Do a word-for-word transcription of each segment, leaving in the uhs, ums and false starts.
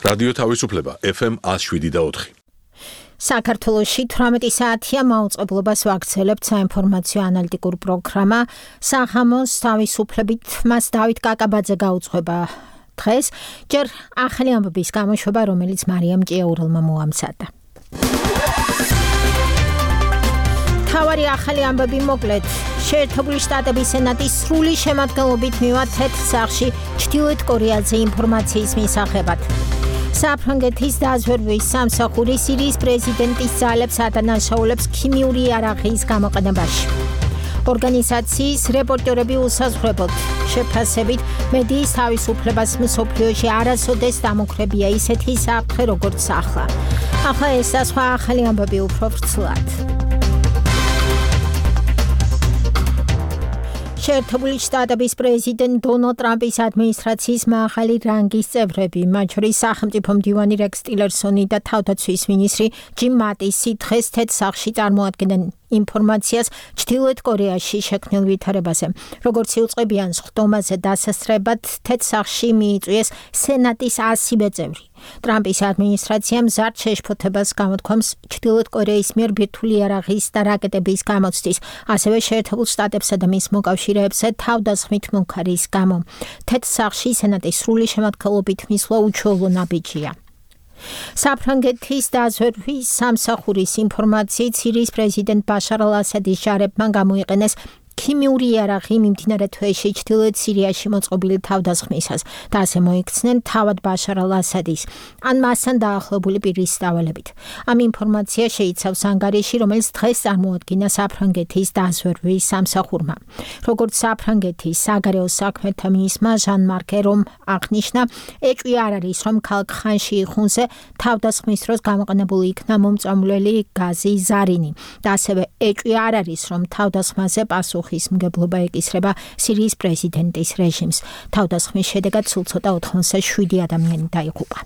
რადიო თავისუფლება ეფ ემ one oh seven point four. საქართველოში თვრამეტი საათია მაუწყებლობას ვაგრძელებთ საინფორმაციო ანალიტიკურ პროგრამა სახამოს თავისუფლებით მას დავით კაკაბაძე გაუძღვება დღეს ჯერ ახალი ამბების გამოშვება რომელიც მარიამ ჭიაურელმა მოამზადა. თავარი ახალი ამბები მოკლედ შეერთებული შტატების სენატის სრული შემადგენლობით მივა თეთრ სახლში ჩრდილოეთ კორეაზე ინფორმაციის მისაღებად. საფრანგეთის დაზვერვის სამსახური სირიის პრეზიდენტის ძალებს ადანაშაულებს ქიმიური იარაღის გამოყენებაში. ორგანიზაციის რეპორტერები უსაზღვრებლად შეფასებით მედიის თავისუფლებას მსოფლიოში არასოდეს დამოკრებია ისეთი საფრთხე როგორც ახლა. ახლა ეს და სხვა ახალი ამბები უფრო ვრცლად. შეერთებული შტატების პრეზიდენტ დონალდ ტრამპის ადმინისტრაციის მაღალი რანგის წევრები, მათ შორის სახელმწიფო მდივანი რექს ტილერსონი და თავდაცვის მინისტრი ჯიმ მატისი დღეს თეთრ სახლში წარმოადგენენ ინფორმაციას ჩრდილოეთ კორეაში შექმნილ ვითარებაზე. როგორც იუწყებიან სხდომაზე დასასწრებად თეთრ სახლში მიიწვიეს სენატის ასივე წევრი. ტრამპის ადმინისტრაციამ მზარდ შეშფოთებას გამოთქვამს ჩრდილოეთ კორეის მიერ ბირთვული იარაღის და რაკეტების გამოცდის, ასევე შეერთებულ შტატებსა და მის მოკავშირეებზე თავდასხმით მუქარის გამო. თეთრ სახლში სენატის სრული შემადგენლობით მისვლა უჩვეულო ნაბიჯია. საფრანგეთის დაზვერვის სამსახურის ინფორმაციით სირიის პრეზიდენტ ბაშარ ალ-ასადის ჯარებმა გამოიყენეს ქიმიური იარაღი მიმდინარე თვეში ჩრდილოეთ სირიაში მოწყობილი თავდასხმისას და ასე მოიქცნენ თავად ბაშარ ალ-ასადის ან მასთან დაახლოებული პირის დავალებით. ამ ინფორმაცია შეიცავს ანგარიში, რომელიც დღეს წარმოადგინა საფრანგეთის დაზვერვის სამსახურმა. როგორც საფრანგეთის საგარეო საქმეთა მინისტრმა ჟან-მარკ ერომ აღნიშნა, ეჭვი არ არის, რომ ქალაქ ხანში იხუნზე თავდასხმის დროს გამოყენებული იქნა მომწამვლელი გაზი ზარინი და ასევე ეჭვი არ არის, რომ თავდასხმაზე პასუხი მგებლობა ეკისრება სირიის პრეზიდენტის რეჟიმს. თავდასხმის შედეგად სულ ცოტა ოთხმოცდაშვიდი ადამიანი დაიღუპა.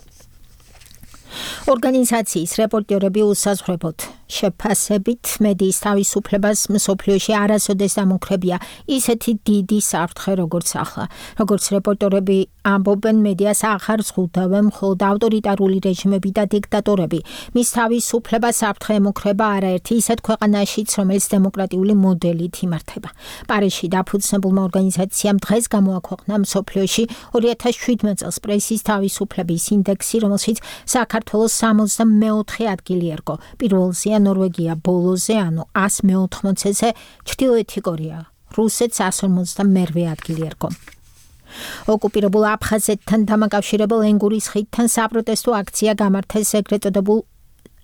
ორგანიზაციის რეპორტერები უსაზღვრებლად შეფასებით მედიის თავისუფლებას მსოფლიოში არასოდეს დამოკრებია ისეთი დიდი საფრთხე როგორც ახლა. როგორც რეპორტერები ამბობენ, მედიას აღარ ზღუდავენ მხოლოდ ავტორიტარული რეჟიმები და დიქტატორები. მის თავისუფლებას საფრთხე ემუქრება არაერთი ისეთ ქვეყანაშიც, რომელიც დემოკრატიული მოდელით იმართება. პარიზში დაფუძნებულმა ორგანიზაციამ დღეს გამოაქვეყნა მსოფლიოში ორი ათას შვიდმეტ წელს პრესის თავისუფლების ინდექსი, რომელშიც საქართველოს სამოცდამეოთხე ადგილი ერგო. პირველზეა ნორვეგია, ბოლოზე, ანუ ას მეოთხმოცეზე ჩრდილოეთი კორეა. რუსეთს ას ორმოცდამერვე ადგილი ერგო. ოკუპირებულ აფხაზეთთან დამაკავშირებელ ენგურის ხიდთან საპროტესტო აქცია გამართეს ეგრეთ წოდებულ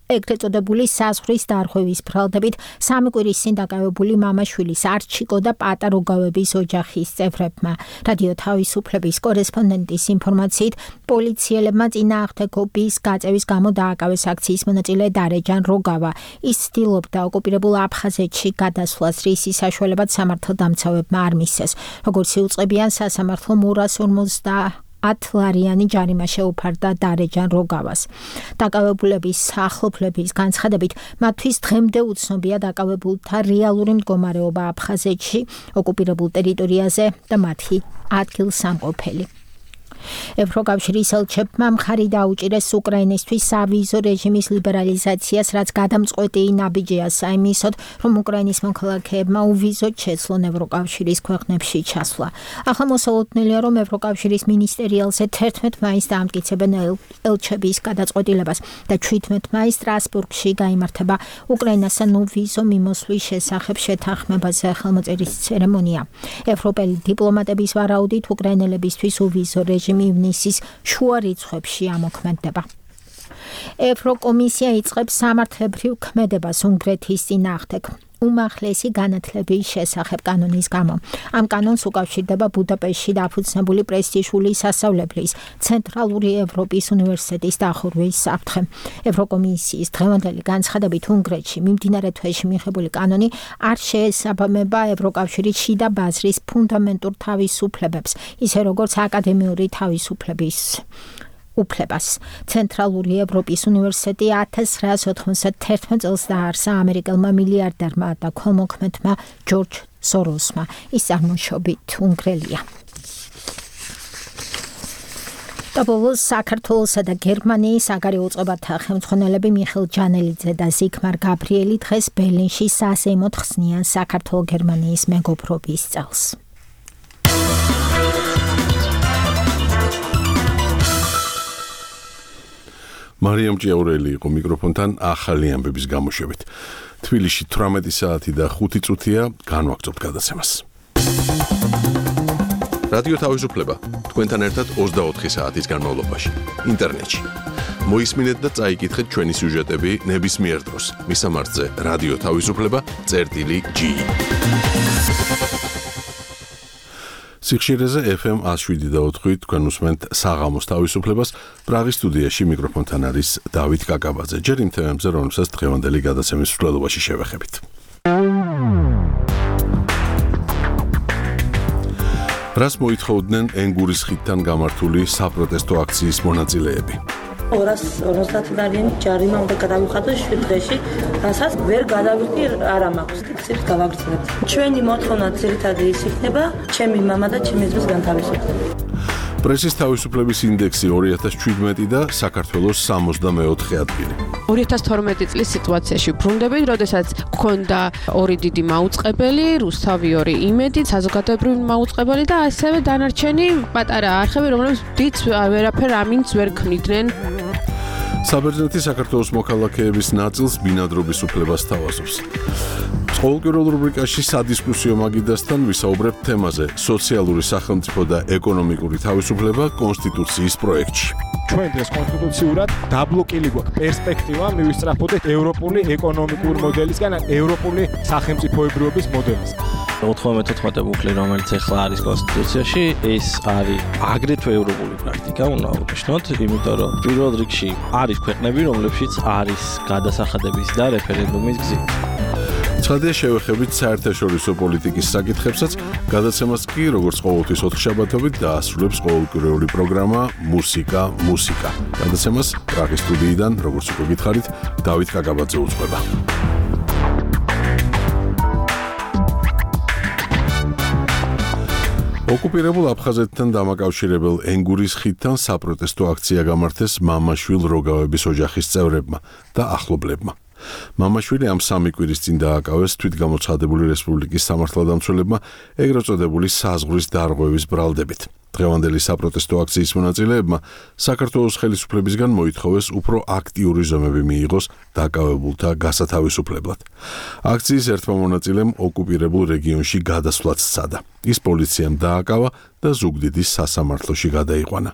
ეგრეთ წოდებული საზღვრის დარღვევის ბრალდებით სამი კვირის წინ დაკავებული მამაშვილის არჩიკო და პატაროგავების ოჯახის წევრებმა. რადიო თავისუფლების კორესპონდენტის ინფორმაციით, პოლიციელებმა წინააღმდეგობის გაწევის გამო დააკავეს აქციის მონაწილე დარეჯან როგავა. ის ცდილობდა ოკუპირებულ აფხაზეთში გადასვლას, რისის საშუალებად სამართალდამცავებმა არ მისცეს. როგორც იუწყებიან, სასამართლომ ორას ორმოცდა ათლარიანი ჯარიმა შეუფარდა დარეჯან როგავას. დაკავებულების სახლობლების განცხადებით, მათთვის დღემდე უცნობია დაკავებულთა რეალური მდგომარეობა აფხაზეთში, ოკუპირებულ ტერიტორიაზე და მათი ადგილსამყოფელი. ევროკავშირის ელჩებმა მხარი დაუჭირეს უკრაინისთვის სავიზო რეჟიმის ლიბერალიზაციას, რაც გადამწყვეტი ნაბიჯია საიმისოდ, რომ უკრაინის მოქალაქეებმა უვიზოდ შეცვლონ ევროკავშირის ქვეყნებში ჩასვლა. ახლა მოსალოდნელია, რომ ევროკავშირის მინისტერიალზე თერთმეტ მაისს დაამტკიცებენ ელჩების გადაწყვეტილებას და ჩვიდმეტ მაისს სტრასბურგში გაიმართება უკრაინასთან უვიზო მიმოსვლის შესახებ შეთანხმებაზე ხელმოწერის ცერემონია. ევროპელი დიპლომატების ვარაუდით უკრაინელებისთვის უვიზო რეჟიმი ივნისის შუა რიცხვებში ამოქმედდება. ევროკომისია იწყებს სამართლებრივ ქმედებას უნგრეთის წინააღმდეგ. უმაღლესი განათლების შესახებ კანონის გამო. ამ კანონს უკავშირდება ბუდაპეშტში დაფუძნებული პრესტიჟული სასწავლებლის ცენტრალური ევროპის უნივერსიტეტის დახურვის საფრთხე. ევროკომისიის დღევანდელი განცხადებით უნგრეთში მიმდინარე თვეში მიღებული კანონი არ შეესაბამება ევროკავშირის შიდა ბაზრის ფუნდამენტურ თავისუფლებებს, ისე როგორც აკადემიური თავისუფლების უფლებას. ცენტრალური ევროპის უნივერსიტეტი ათას ცხრაას ოთხმოცდათერთმეტ წელს დაარსა ამერიკელმა მილიარდერმა და ქველმოქმედმა ჯორჯ სოროსმა. ის წარმოშობით უნგრელია. Dobovul საქართველოსა და გერმანიის საგარეო უწყებათა ხელმძღვანელები მიხეილ ჯანელიძე და ზიგმარ გაბრიელი დღეს ბერლინში სასეიმოდ ხსნიან საქართველო-გერმანიის მეგობრობის წელს. მარიამ ჭიაურელი იყო მიკროფონთან ახალი ამბების გამოშვებით. თბილისში თვრამეტი საათი და ხუთი წუთია განვაგრძობთ გადაცემას. რადიო თავისუფლება თქვენთან ერთად ოცდაოთხი საათის განმავლობაში ინტერნეტში. მოისმინეთ და წაიკითხეთ ჩვენი სიუჟეტები ნებისმიერ დროს. მისამართზე რადიო თავისუფლება წერტილი ჯი. სიხშირეზე ეფ ემ εκατო შვიდი და ოთხი თქვენ უსმენთ საღამოს თავისუფლებას. პრაღის სტუდიაში მიკროფონთან არის დავით კაკაბაძე. ჯერ იმ თემებზე, რომელსაც დღევანდელი გადაცემის მსვლელობაში შევეხებით. რას მოითხოვდნენ ენგურის ხიდთან გამართული საპროტესტო აქციის მონაწილეები? ორას ოცდაათი ჯარიმა უნდა გადავიხადოს შვიდ დღეში, რასაც ვერ გადავიხდი არა მაქვს. ციფრს გავაგრძელებთ. ჩვენი მოთხოვნა ძირითადად ის იქნება, ჩემი მამა და ჩემი ძმის განთავისუფლება. პრესის თავისუფლების ინდექსი ორი ათას შვიდმეტი და საქართველოს სამოცდამეოთხე ადგილი. ორი ათას თორმეტი წლის სიტუაციაში ბრუნდებით, როდესაც გქონდა ორი დიდი მაუწყებელი, რუსთავი ორი იმედი, საზოგადოებრივი მაუწყებელი და ასევე დანარჩენი პატარა არხები, რომლებიც დიდ ვერაფერ ამინდს ვერ ქმნიდნენ. საბერძნეთი საქართველოს მოქალაქეების ნაწილს ბინადრობის უფლებას თავაზობს. ყოველკვირეულ რუბრიკაში სადისკუსიო მაგიდასთან ვისაუბრებთ თემაზე სოციალური სახელმწიფო და ეკონომიკური თავისუფლება კონსტიტუციის პროექტში. ჩვენ დღეს კონსტიტუციურად დაბლოკილი გვაქვს პერსპექტივა მივისწრაფოდეთ ევროპული ეკონომიკური მოდელისგან ევროპული სახელმწიფოებრიობის მოდელისგან. ოთხმოცდამეთოთხმეტე ბუკლი, რომელიც ახლა არის კონსტიტუციაში, ეს არის აგრეთვე ევროპული პრაქტიკა, უნდა ვუნიშნოთ, იმიტომ რომ პირველ რიგში არის ქვეყნები, რომლებშიც არის გადასახადების და რეფერენდუმის გზით. ცხადია შევეხებით საერთაშორისო პოლიტიკის საკითხებსაც, გადაცემას კი როგორც ყოველთვის ოთხშაბათობით დაასრულებს ყოველკვირეული პროგრამა მუსიკა მუსიკა. გადაცემას პრაღის სტუდიიდან, როგორც უკვე გითხარით, დავით კაკაბაძე უძღვება. ოკუპირებულ აფხაზეთთან დამაკავშირებელ ენგურის ხიდთან საპროტესტო აქცია გამართეს მამაშვილ როგავების ოჯახის წევრებმა და ახლობლებმა. მამაშვილი ამ სამი კვირის წინ დააკავეს თვითგამოცხადებული რესპუბლიკის სამართალდამცველებმა ეგრეთ წოდებული საზღვრის დარღვევის ბრალდებით. დღევანდელი საპროტესტო აქციის მონაწილეებმა საქართველოს ხელისუფლებისგან მოითხოვეს უფრო აქტიური ზომები მიიღოს დაკავებულთა გასათავისუფლებლად. აქციის ერთმა მონაწილემ ოკუპირებულ რეგიონში გადასვლაც სცადა. ის პოლიციამ დააკავა და ზუგდიდის სასამართლოში გადაიყვანა.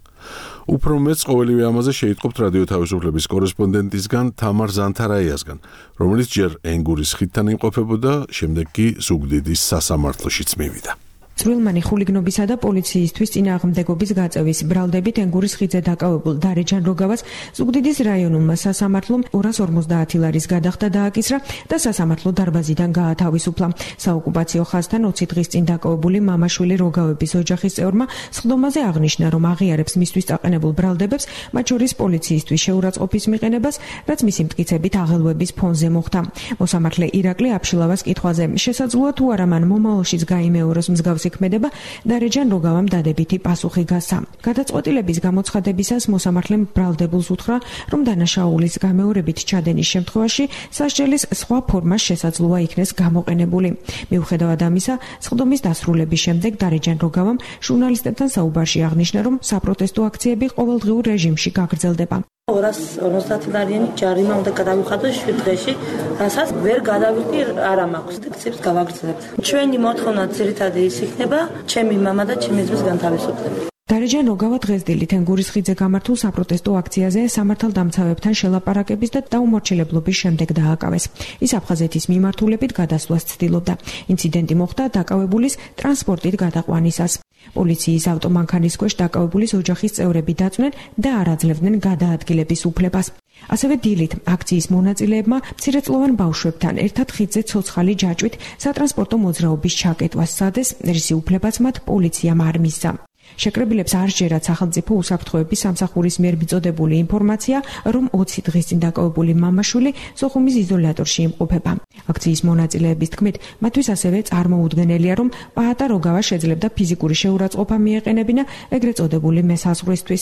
უფრო მეც ყოველივე ამაზე შეიტყობთ რადიო თავისუფლების კორესპონდენტისგან თამარ ზანთარაიასგან, რომელიც ჯერ ენგურის ხიდთან იმყოფებოდა, შემდეგ კი ზუგდიდის სასამართლოშიც მივიდა. ძველმანი ხულიგნობისა და პოლიციისთვის წინააღმდეგობის გაწევის ბრალდებით ენგურის ხიდზე დაკავებულ დარეჯან როგავას ზუგდიდის რაიონულმა სასამართლომ ორას ორმოცდაათი ლარის გადახდა დააკისრა და სასამართლო დარბაზიდან გაათავისუფლა. საოკუპაციო ხაზთან ოცი დღის წინ დაკავებული მამაშვილი როგავების ოჯახის წევრმა სხდომაზე აღნიშნა, რომ აღიარებს მისთვის წაყენებულ ბრალდებებს, მათ შორის პოლიციისთვის შეურაცხყოფის მიყენებას, რაც მისი მტკიცებით აღელვების ფონზე მოხდა. მოსამართლე ირაკლი აფშილავას კითხვაზე შესაძლოა თუ არა მან მომავალშიც გაიმეოროს მსგავსი ქმედება დარეჯან როგავამ დადებითი პასუხი გასცა. გადაწყვეტილების გამოცხადებისას მოსამართლემ ბრალდებულს უთხრა, რომ დანაშაულის გამეორებით ჩადენის შემთხვევაში სასჯელის სხვა ფორმა შესაძლოა იქნეს გამოყენებული. მიუხედავად ამისა, სხდომის დასრულების შემდეგ დარეჯან როგავამ ჟურნალისტებთან საუბარში აღნიშნა, რომ საპროტესტო აქციები ყოველდღიურ რეჟიმში გაგრძელდება. ორას ოცდაათი ჯარიმა უნდა გადავიხადოს შვიდ დღეში, რასაც ვერ გადავიხდი არა მაქვს. ციფრს გავაგრძელებთ. ჩვენი მოთხოვნა ძირითადად ის იქნება, ჩემი მამა და ჩემი ძმის განთავისუფლება. დარეჯან როგავა დღეს დილით ენგურის ხიდზე გამართულ საპროტესტო აქციაზე სამართალდამცავებთან შელაპარაკების და დაუმორჩილებლობის შემდეგ დააკავეს. ის აფხაზეთის მიმართულებით გადასვლას ცდილობდა. ინციდენტი მოხდა დაკავებულის ტრანსპორტით გადაყვანისას. პოლიციის ავტომანქანის ქვეშ დაკავებულის ოჯახის წევრები დაწვნენ და არ აძლევდნენ გადაადგილების უფლებას. ასევე დილით აქციის მონაწილეებმა მცირეწლოვან ბავშვებთან ერთად ხიდზე ცოცხალი ჯაჭვით სატრანსპორტო მოძრაობის ჩაკეტვას სცადეს, რის უფლებაც მათ პოლიციამ არ მისცა. შეკრებილებს არ სჯერათ სახელმწიფო უსაფრთხოების სამსახურის მიერ მიწოდებული ინფორმაცია, რომ ოცი დღის წინ დაკავებული მამაშვილი სოხუმის იზოლატორში იმყოფება. აქციის მონაწილეების თქმით, მათთვის ასევე წარმოუდგენელია, რომ პაატა როგავა შეძლებდა ფიზიკური შეურაცხყოფა მიეყენებინა ეგრეთ წოდებული მესაზღვრისთვის.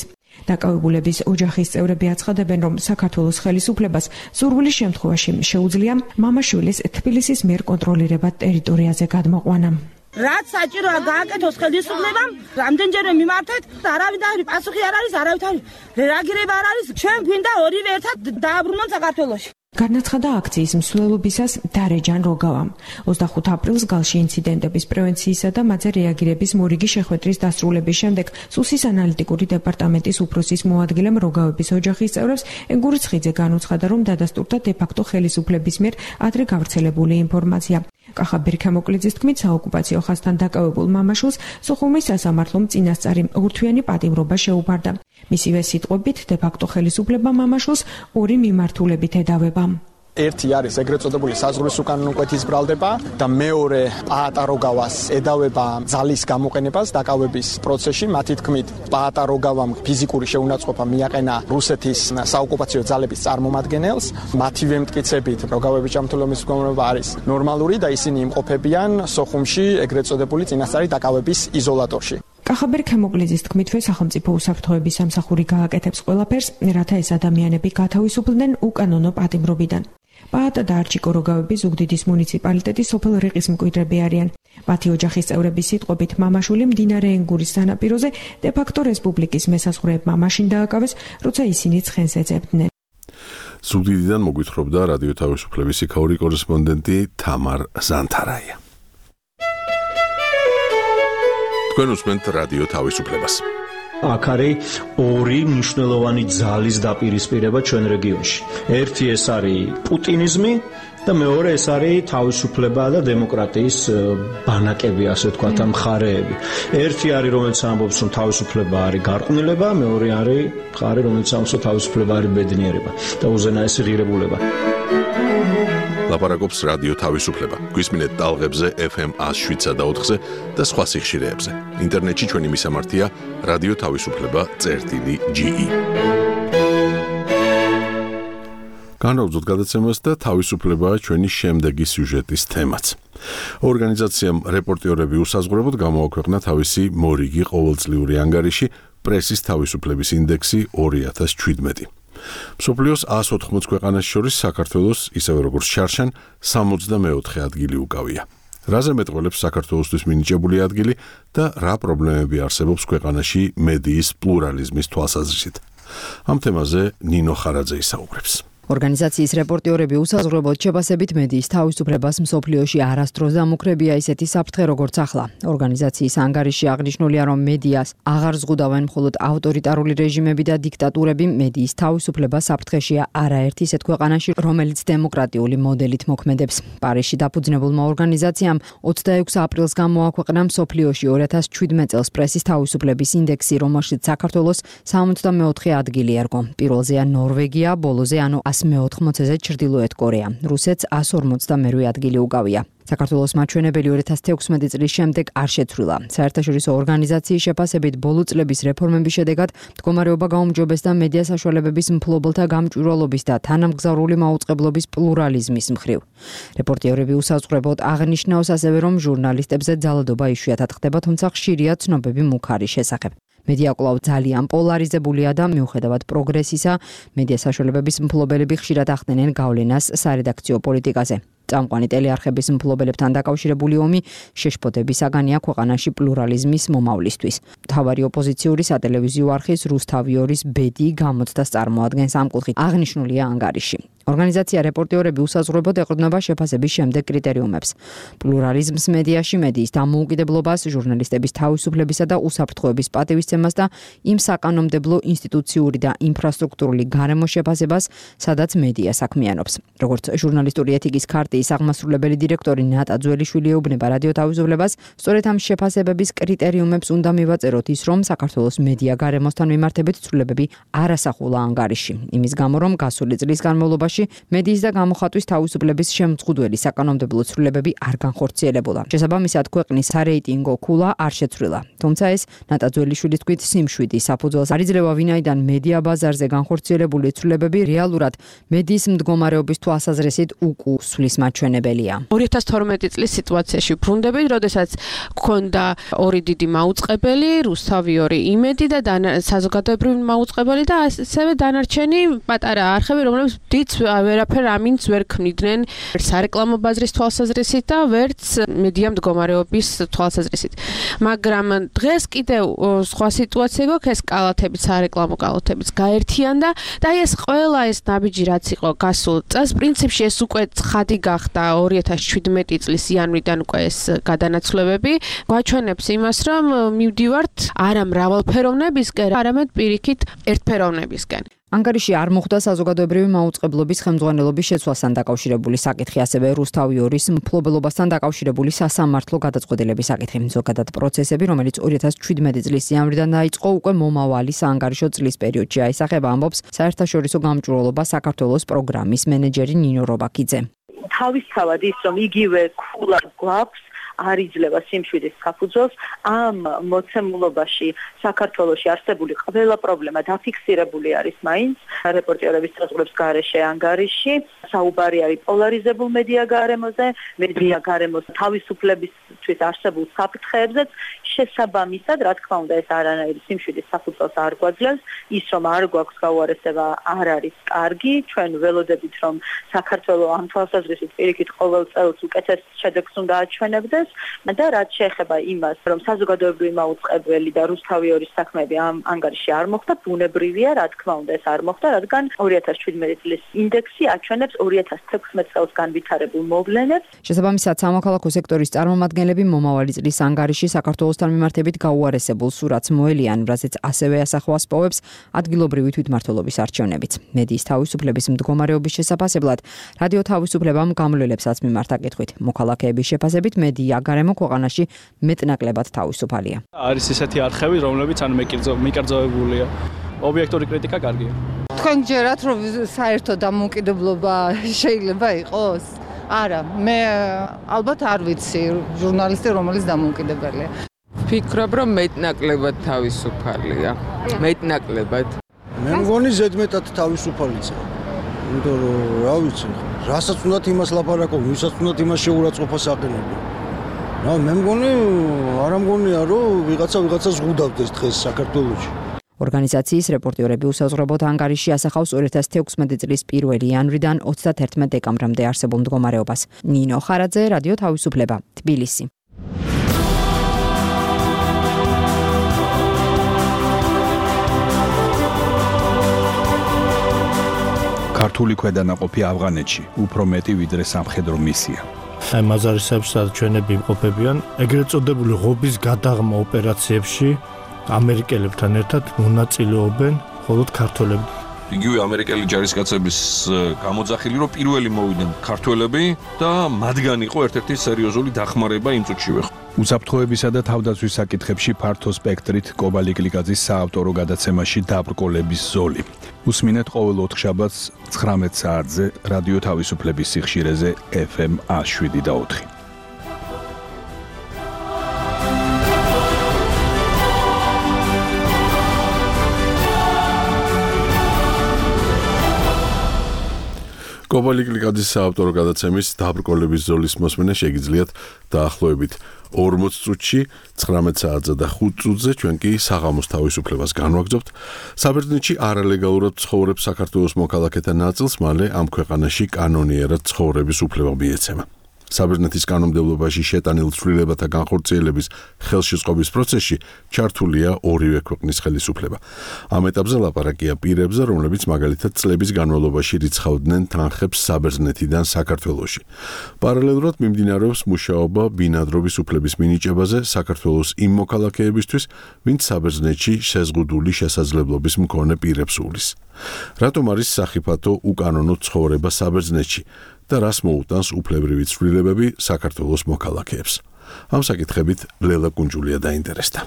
დაკავებულების ოჯახის წევრები აცხადებენ, რომ საქართველოს ხელისუფლებას სურვილის შემთხვევაში შეუძლია მამაშვილის თბილისის მიერ კონტროლირებად ტერიტორიაზე გადმოყვანა. რაც საჭიროა გააკეთოს ხელისუფლებამ, რამდენჯერმე მიმართეთ, არავინ და პასუხი არ არის, არავით არის რეაგირება არ არის. ჩვენ გვინდა ორივე ერთად დააბრუნონ საქართველოში. განაცხადა აქციის მსვლელობისას დარეჯან როგავამ. ოცდახუთ აპრილს გალში ინციდენტების პრევენციისა და მათზე რეაგირების მორიგი შეხვედრის დასრულების შემდეგ სუსის ანალიტიკური დეპარტამენტის უფროსის მოადგილემ როგავების ოჯახის წევრებს ენგურიცხიძე განუცხადა, რომ დადასტურდა დე-ფაქტო ხელისუფლების მიერ ადრე გავრცელებული ინფორმაცია. კახა ბერქემოკლიძის თქმით, საოკუპაციო ხაზთან დაკავებულ მამაშვილს სოხუმის სასამართლომ წინასწარი ურთვიანი პატიმრობა შეუფარდა. მისივე სიტყვებით, დე-ფაქტო ხელისუფლება მამაშვილს ორი მიმართულებით ედავება. ერთი არის ეგრეთ წოდებული საზღვრის უკანონო კვეთის ბრალდება და მეორე პაატა როგავას ედავება ძალის გამოყენებას დაკავების პროცესში. მათი თქმით, პაატა როგავამ ფიზიკური შეუნაწყობა მიაყენა რუსეთის საოკუპაციო ძალების წარმომადგენელს. მათივე მტკიცებით, როგავების ჯანმრთელობის მდგომარეობა არის ნორმალური და ისინი იმყოფებიან სოხუმში ეგრეთ წოდებული წინასწარი დაკავების იზოლატორში. კახაბერ ქემოკლიძის თქმითვე სახელმწიფო უსაფრთხოების სამსახური გააკეთებს ყველაფერს, რათა ეს ადამიანები გათავისუფლდნენ უკანონო პატიმრობიდან. პაატა და არჩიკო როგავები ზუგდიდის მუნიციპალიტეტის სოფელ რიყის მკვიდრები არიან. მათი ოჯახის წევრების სიტყვებით, მამაშვილი მდინარე ენგურის სანაპიროზე დე-ფაქტო რესპუბლიკის მესაზღვრეებმა მაშინ დააკავეს, როცა ისინი ცხენს ეძებდნენ. ზუგდიდიდან მოგვითხრობდა რადიო თავისუფლების იქაური კორესპონდენტი თამარ ზანთარაია. თქვენ უსმენთ რადიო თავისუფლებას. აქ არის ორი მნიშვნელოვანი ძალის დაპირისპირება ჩვენ რეგიონში. ერთი ეს არის პუტინიზმი და მეორე ეს არის თავისუფლება და დემოკრატიის ბანაკები, ასე ვთქვათ, მხარეები. ერთი არის, რომელიც ამბობს, რომ თავისუფლება არის გარყვნილება, მეორე არის მხარე, რომელიც ამბობს, რომ თავისუფლება არის ბედნიერება და უზენაესი ღირებულება. ლაპარაკობს რადიო თავისუფლება. გვისმინეთ ტალღებზე ეფ ემ ათს და ოთხზე და სხვა სიხშირეებზე. ინტერნეტში ჩვენი მისამართია რადიო თავისუფლება წერტილი ჯი ი. განვაგრძოთ გადაცემას და თავისუფლებაა ჩვენი შემდეგი სიუჟეტის თემაც. ორგანიზაციამ რეპორტიორები უსაზღვრებოდ გამოაქვეყნა თავისი მორიგი ყოველწლიური ანგარიში პრესის თავისუფლების ინდექსი ორი ათას შვიდმეტი. მსოფლიოს ას ოთხმოც ქვეყანას შორის საქართველოს, ისევე როგორც შარშან, სამოცდამეოთხე ადგილი უკავია. რაზე მეტყველებს საქართველოსთვის მინიჭებული ადგილი და რა პრობლემები არსებობს ქვეყანაში მედიის პლურალიზმის თვალსაზრისით. ამ თემაზე ნინო ხარაძე ისაუბრებს. ორგანიზაციის რეპორტიორები უსაზღვრებლად შეფასებით მედიის თავისუფლებას მსოფლიოში არასდროს დამუქრებია ისეთი საფრთხე როგორც ახლა. ორგანიზაციის ანგარიში აღნიშნულია, რომ მედიას აღარ ზღუდავენ მხოლოდ ავტორიტარული რეჟიმები და დიქტატურები, მედიის თავისუფლება საფრთხეშია არაერთ ისეთ ქვეყანაში, რომელიც დემოკრატიული მოდელით მოქმედებს. პარიზში დაფუძნებულმა ორგანიზაციამ ოცდაექვსი აპრილს გამოაქვეყნა მსოფლიოში ორი ათას შვიდმეტ წელს პრესის თავისუფლების ინდექსი, რომელშიც საქართველოს სამოცდამეოთხე ადგილი ერგო. პირველზეა ნორვეგია, ბოლოზე ანუ მეოთხმოცეზე ჩრდილოეთ კორეა. რუსეთს ას ორმოცდამერვე ადგილი უკავია. საქართველოს მაჩვენებელი ორი ათას თექვსმეტი წლის შემდეგ არ შეცვლილა. საერთაშორისო ორგანიზაციის შეფასებით ბოლო წლების რეფორმების შედეგად მდგომარეობა გაუმჯობესდა მედია საშუალებების მფლობელთა გამჭვირვალობის და თანამგზავრული მაუწყებლობის პლურალიზმის მხრივ. რეპორტიორები უსაზღვრებლად აღნიშნავს ასევე, რომ ჟურნალისტებზე ძალადობა იშვიათად ხდება, თუმცა ხშირია ცნობები მუქარი შესახებ. მედია კვლავ ძალიან პოლარიზებულია და მიუხედავად პროგრესისა, მედია საშუალებების მფლობელები ხშირად ახდენენ გავლენას სარედაქციო პოლიტიკაზე. წამყვანი ტელეარხების მფლობელებთან დაკავშირებული ომი შეშფოთების საგანია ქვეყანაში პლურალიზმის მომავლისთვის. მთავარი ოპოზიციური სატელევიზიო არხის რუსთავიორის ბედი გამოცდას წარმოადგენს ამ კუთხით აღნიშნულია ანგარიში. ორგანიზაცია რეპორტიორები უსაზღვრებლად ეყრდნობა შეფასების შემდეგ კრიტერიუმებს: პლურალიზმს მედიაში, მედიის დამოუკიდებლობას, ჟურნალისტების თავისუფლებისა და უსაფრთხოების პატივისცემას და იმ საკანონმდებლო ინსტიტუციური და ინფრასტრუქტურული გარემოს შეფასებას, სადაც მედია საქმიანობს. როგორც ჟურნალისტური ეთიკის ქარტიის აღმასრულებელი დირექტორი ნატა ძველიშვილი ეუბნება რადიო თავისუფლებას, სწორედ ამ შეფასებების კრიტერიუმებს უნდა მივაწეროთ ის, რომ საქართველოს მედია გარემოსთან მიმართებით ცვლილებები არ ასახულა ანგარიში. იმის გამო, რომ გასული წლის განმავლობაში მედიის და გამოხატვის თავისუფლების შემწყვდელი საკანონმდებლო ცვლილებები არ განხორციელებულა. შესაბამისად, ქვეყნის სარეიტინგო ქულა არ შეცვლილა. თუმცა ეს ნატა ძველიშვილის თქმით სიმშვიდი საფუძველს არ იძლევა, ვინაიდან მედია ბაზარზე განხორციელებული ცვლილებები რეალურად მედიის მდგომარეობის თვალსაზრისით უკუსვლის მათ მიგანაჩვენებელია. ორი ათას თორმეტი წლის სიტუაციაში ვბრუნდებით, როდესაც გქონდა ორი დიდი მაუწყებელი, რუსთავი ორი იმედი და საზოგადოებრივი მაუწყებელი და ასევე დანარჩენი პატარა არხები, რომლებიც დიდ ვერაფერ ამინც ვერ ქმნიდნენ სარეკლამო ბაზრის თვალსაზრისით და ვერც მედია მდგომარეობის თვალსაზრისით. მაგრამ დღეს კიდევ სხვა სიტუაცია გვაქვს, ეს კალათებიც, სარეკლამო კალათებიც გაერთიანდა და ეს ყველა ეს ნაბიჯი რაც იყო გასულ წელს, პრინციპში ეს უკვე ცხადი გახდა ორი ათას შვიდმეტი წლის იანვრიდან უკვე ეს გადანაცვლებები გვაჩვენებს იმას, რომ მივდივართ არა მრავალფეროვნებისკენ, არამედ პირიქით ერთფეროვნებისკენ. ანგარიში არ მოხდა საზოგადოებრივი მაუწყებლობის ხელმძღვანელობის შეცვლასთან დაკავშირებული საკითხი, ასევე რუსთავი ორის მფლობელობასთან დაკავშირებული სასამართლო გადაწყვეტილების საკითხი. ზოგადად პროცესები, რომელიც ორი ათას შვიდმეტი წლის იანვრიდან დაიწყო, უკვე მომავალი საანგარიშო წლის პერიოდში აისახება, ამბობს საერთაშორისო გამჭვირვალობა საქართველოს პროგრამის მენეჯერი ნინო რობაქიძე. თავისთავად ის, რომ იგივე ქულად გვაქვს არ იძლევა სიმშვიდის საფუძველს, ამ მოცემულობაში საქართველოში არსებული ყველა პრობლემა დაფიქსირებული არის მაინც რეპორტერების საზღვრებს გარეშე ანგარიში, საუბარი არის პოლარიზებულ მედია გარემოზე, მედია გარემოს თავისუფლებისთვის არსებულ საფრთხეებზეც, შესაბამისად, რა თქმა უნდა, ეს არანაირი სიმშვიდის საფუძველს არ გვაძლევს, ის რომ არ გვაქვს გაუარესება არ არის კარგი, ჩვენ ველოდებით რომ საქართველო ამ თვალსაზრისით პირიქით ყოველ წელს უკეთეს შედეგს უნდა აჩვენებდეს და რაც შეეხება იმას, რომ საზოგადოებრივი მაუწყებელი და რუსთავი ორის საქმეები ამ ანგარიში არ მოხდა, ბუნებრივია, რა თქმა უნდა, ეს არ მოხდა, რადგან ორი ათას შვიდმეტი წლის ინდექსი აჩვენებს ორი ათას თექვსმეტ წელს განვითარებულ მოვლენებს. შესაბამისად, სამოქალაქო სექტორის წარმომადგენლები მომავალი წლის ანგარიში საქართველოსთან მიმართებით გაუარესებულ სურათს მოელიან, რაზეც ასევე ასახავს პოვებს ადგილობრივი თვითმმართველობის არჩევნებიც. მედიის თავისუფლების მდგომარეობის შესაფასებლად რადიო თავისუფლებამ გამლელებსაც მიმართა კითხვით. მოქალაქეების შეფასებით მედია გარემო ქვეყანაში მეტნაკლებად თავისუფალია. არის ისეთი არხები, რომლებიც ან მიკერძოებულია. ობიექტური კრიტიკა კარგია. თქვენ გჯერათ, რომ საერთო დამოუკიდებლობა შეიძლება იყოს? არა, მე ალბათ არ ვიცი ჟურნალისტი რომელიც დამოუკიდებელია. ვფიქრობ, რომ მეტნაკლებად თავისუფალია. მეტნაკლებად. მე მგონი ზედმეტად თავისუფალია. იმიტომ რომ რა ვიცი, რასაც უნდათ იმას ლაპარაკობ, ვისაც უნდათ იმას შეურაცხყოფას აყენებო. რა მე მგონი, არა მგონია რომ ვიღაცა ვიღაცას ზღუდავდეს დღეს საქართველოში. ორგანიზაციის რეპორტერები უსაზღვრობოდ ანგარიში ასახავს ორი ათას თექვსმეტი წლის პირველი იანვრიდან ოცდაათერთმეტ დეკემბრამდე არსებულ მდგომარეობას. ნინო ხარაძე, რადიო თავისუფლება, თბილისი. ქართული ქვედანაყოფი ავღანეთში უფრო მეტი ვიდრე სამხედრო მისია. აი მაზარისეებს ჩვენები იმყოფებიან ეგრეთ წოდებული ღობის გადაღმა ოპერაციებში ამერიკელებთან ერთად მონაწილეობენ მხოლოდ ქართველები. იგივე ამერიკელი ჯარისკაცების გამოძახილი რომ პირველი მოვიდნენ ქართველები და მათგან იყო ერთ-ერთი სერიოზული დახმარება იმ წუთშივე. უსაფრთხოებისა და თავდაცვის საკითხებში ფართო სპექტრით კობალი გლიკაძის საავტორო გადაცემაში დაბრკოლების ზოლი. უსმინეთ ყოველ ოთხშაბათს ცხრამეტ საათზე რადიო თავისუფლების სიხშირეზე ეფ ემ შვიდ და ოთხი. კობალი გლიკაძის საავტორო გადაცემის დაბრკოლების ზოლის მოსმენა შეგიძლიათ დაახლოებით ორმოც წუთში, ცხრამეტ საათზე და ხუთ წუთზე ჩვენ კი საღამოს თავისუფლებას განვაგრძობთ. საბერძნეთში არალეგალურად ცხოვრობს საქართველოს მოქალაქეთა ნაწილს, მალე ამ ქვეყანაში კანონიერად ცხოვრების უფლება მიეცემა. საბერძნეთის კანონმდებლობაში შეტანილ ცვლილებათა განხორციელების ხელშეწყობის პროცესში ჩართულია ორივე ქვეყნის ხელისუფლება. ამ ეტაპზე ლაპარაკია პირებზე, რომლებიც მაგალითად წლების განმავლობაში რიცხავდნენ თანხებს საბერძნეთიდან საქართველოში. პარალელურად მიმდინარეობს მუშაობა ბინადრობის უფლების მინიჭებაზე საქართველოს იმ მოქალაქეებისთვის, ვინც საბერძნეთში შეზღუდული შესაძლებლობის მქონე პირებს უვლის. რატომ არის სახიფათო უკანონო ცხოვრება საბერძნეთში? და რას მოუტანს უფლებრივი ცვლილებები საქართველოს მოქალაქეებს. ამ საკითხებით ლელა კუნჯულია დაინტერესდა.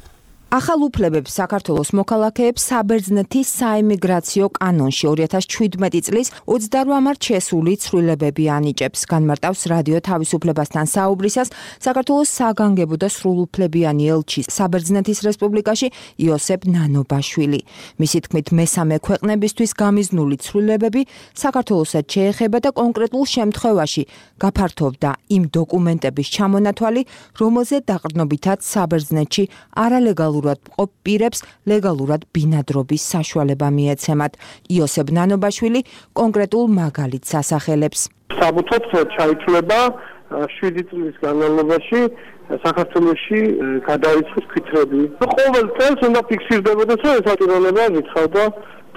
ახალ უფლებებს საქართველოს მოქალაქეებს საბერძნეთის საიმიგრაციო კანონში ორი ათას შვიდმეტი წლის ოცდაორი მარტს შესული ცვლილებები ანიჭებს. განმარტავს რადიო თავისუფლებასთან საუბრისას საქართველოს საგანგებო და სრულუფლებიანი ელჩი საბერძნეთის რესპუბლიკაში იოსებ ნანობაშვილი. მისი თქმით, მესამე ქვეყნებისთვის გამიზნული ცვლილებები საქართველოსაც შეეხება და კონკრეტულ შემთხვევაში გაფართოვდა იმ დოკუმენტების ჩამონათვალი, რომელზე დაყრდნობითაც საბერძნეთში არალეგალურ მყოფ პირებს ლეგალურად ბინადრობის საშუალება მიეცემათ. იოსებ ნანობაშვილი კონკრეტულ მაგალითს ასახელებს. საბუთოთ ჩაითვლება შვიდი წლის განმავლობაში საქართველოში გადაიწყოს ქვითრები. ყოველ წელს უნდა ფიქსირდებოდეს, რომ ეს ატირონება რიცხავდა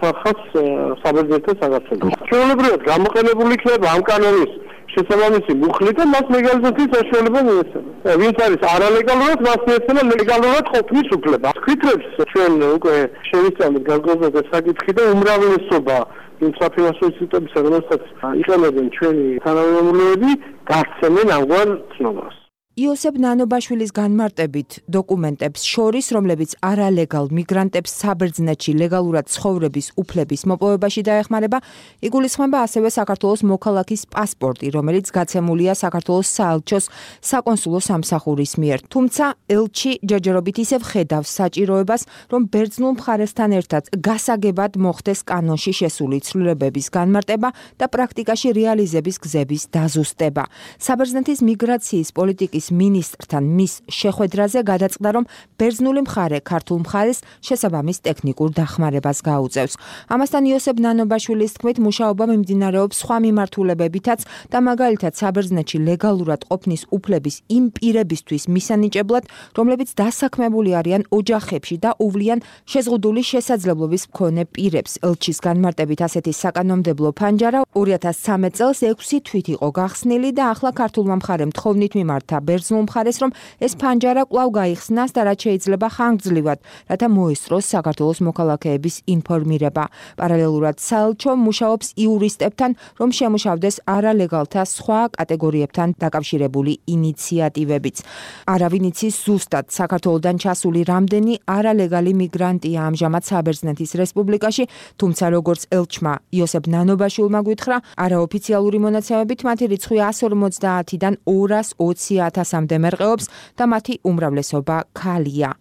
თანხას საბერძნეთთან საქართველოს. ჩვეულებრივად გამოყენებული იქნება ამ კანონის შესაბამისი მუხლი და მას ლეგალიზაციის საშუალება მიეცემა. ვინც არის არალეგალურად, მას მიეცემა ლეგალურად ყოფნის უფლება. ქვითრებს ჩვენ უკვე შევისწავლეთ განსაკუთრებით საკითხი და უმრავლესობა იმ საფინანსო ინსტიტუტებისა, რომელსაც იყენებენ ჩვენი თანამემამულეები, გასცემენ ამგვარ ცნობას. იოსებ ნანობაშვილის განმარტებით დოკუმენტებს შორის, რომლებიც არალეგალ მიგრანტებს საბერძნეთში ლეგალურად ცხოვრების უფლების მოპოვებაში დაეხმარება, იგულისხმება ასევე საქართველოს მოქალაქის პასპორტი, რომელიც გაცემულია საქართველოს საელჩოს საკონსულო სამსახურის მიერ. თუმცა ელჩი ჯერჯერობით ისევ ხედავს საჭიროებას, რომ ბერძნულ მხარესთან ერთად გასაგებად მოხდეს კანონში შესული ცვლილებების განმარტება და პრაქტიკაში რეალიზების გზების დაზუსტება. საბერძნეთის მიგრაციის პოლიტიკის მინისტრთან მის შეხვედრაზე გადაწყდა, რომ ბერძნული მხარე ქართულ მხარეს შესაბამის ტექნიკურ დახმარებას გაუწევს. ამასთან იოსებ ნანობაშვილის თქმით, მუშაობა მიმდინარეობს სხვა მიმართულებებითაც და მაგალითად საბერძნეთში ლეგალურად ყოფნის უფლების იმ პირებისთვის მისანიჭებლად, რომლებიც დასაქმებული არიან ოჯახებში და უვლიან შეზღუდული შესაძლებლობის მქონე პირებს. ელჩის განმარტებით ასეთი საკანონმდებლო ფანჯარა ორი ათას ცხრამეტ წელს ექვსი თვით იყო გახსნილი და ახლა ქართულმა მხარემ თხოვნით მიმართა ბერძნულ მხარეს, რომ ეს ფანჯარა კვლავ გაიხსნას და რაც შეიძლება ხანგრძლივად, რათა მოესწროს საქართველოს მოქალაქეების ინფორმირება. პარალელურად საელჩო მუშაობს იურისტებთან, რომ შემუშავდეს არალეგალთა სხვა კატეგორიებთან დაკავშირებული ინიციატივებიც. არავინ იცის ზუსტად საქართველოდან ჩასული რამდენი არალეგალი მიგრანტია ამჟამად საბერძნეთის რესპუბლიკაში, თუმცა როგორც ელჩმა იოსებ ნანობაშვილმა გვითხრა, არაოფიციალური მონაცემებით მათი რიცხვი ასი ორმოცდაათიდან ორას ოცი ათასამდე მერყეობს და მათი უმრავლესობა ქალია.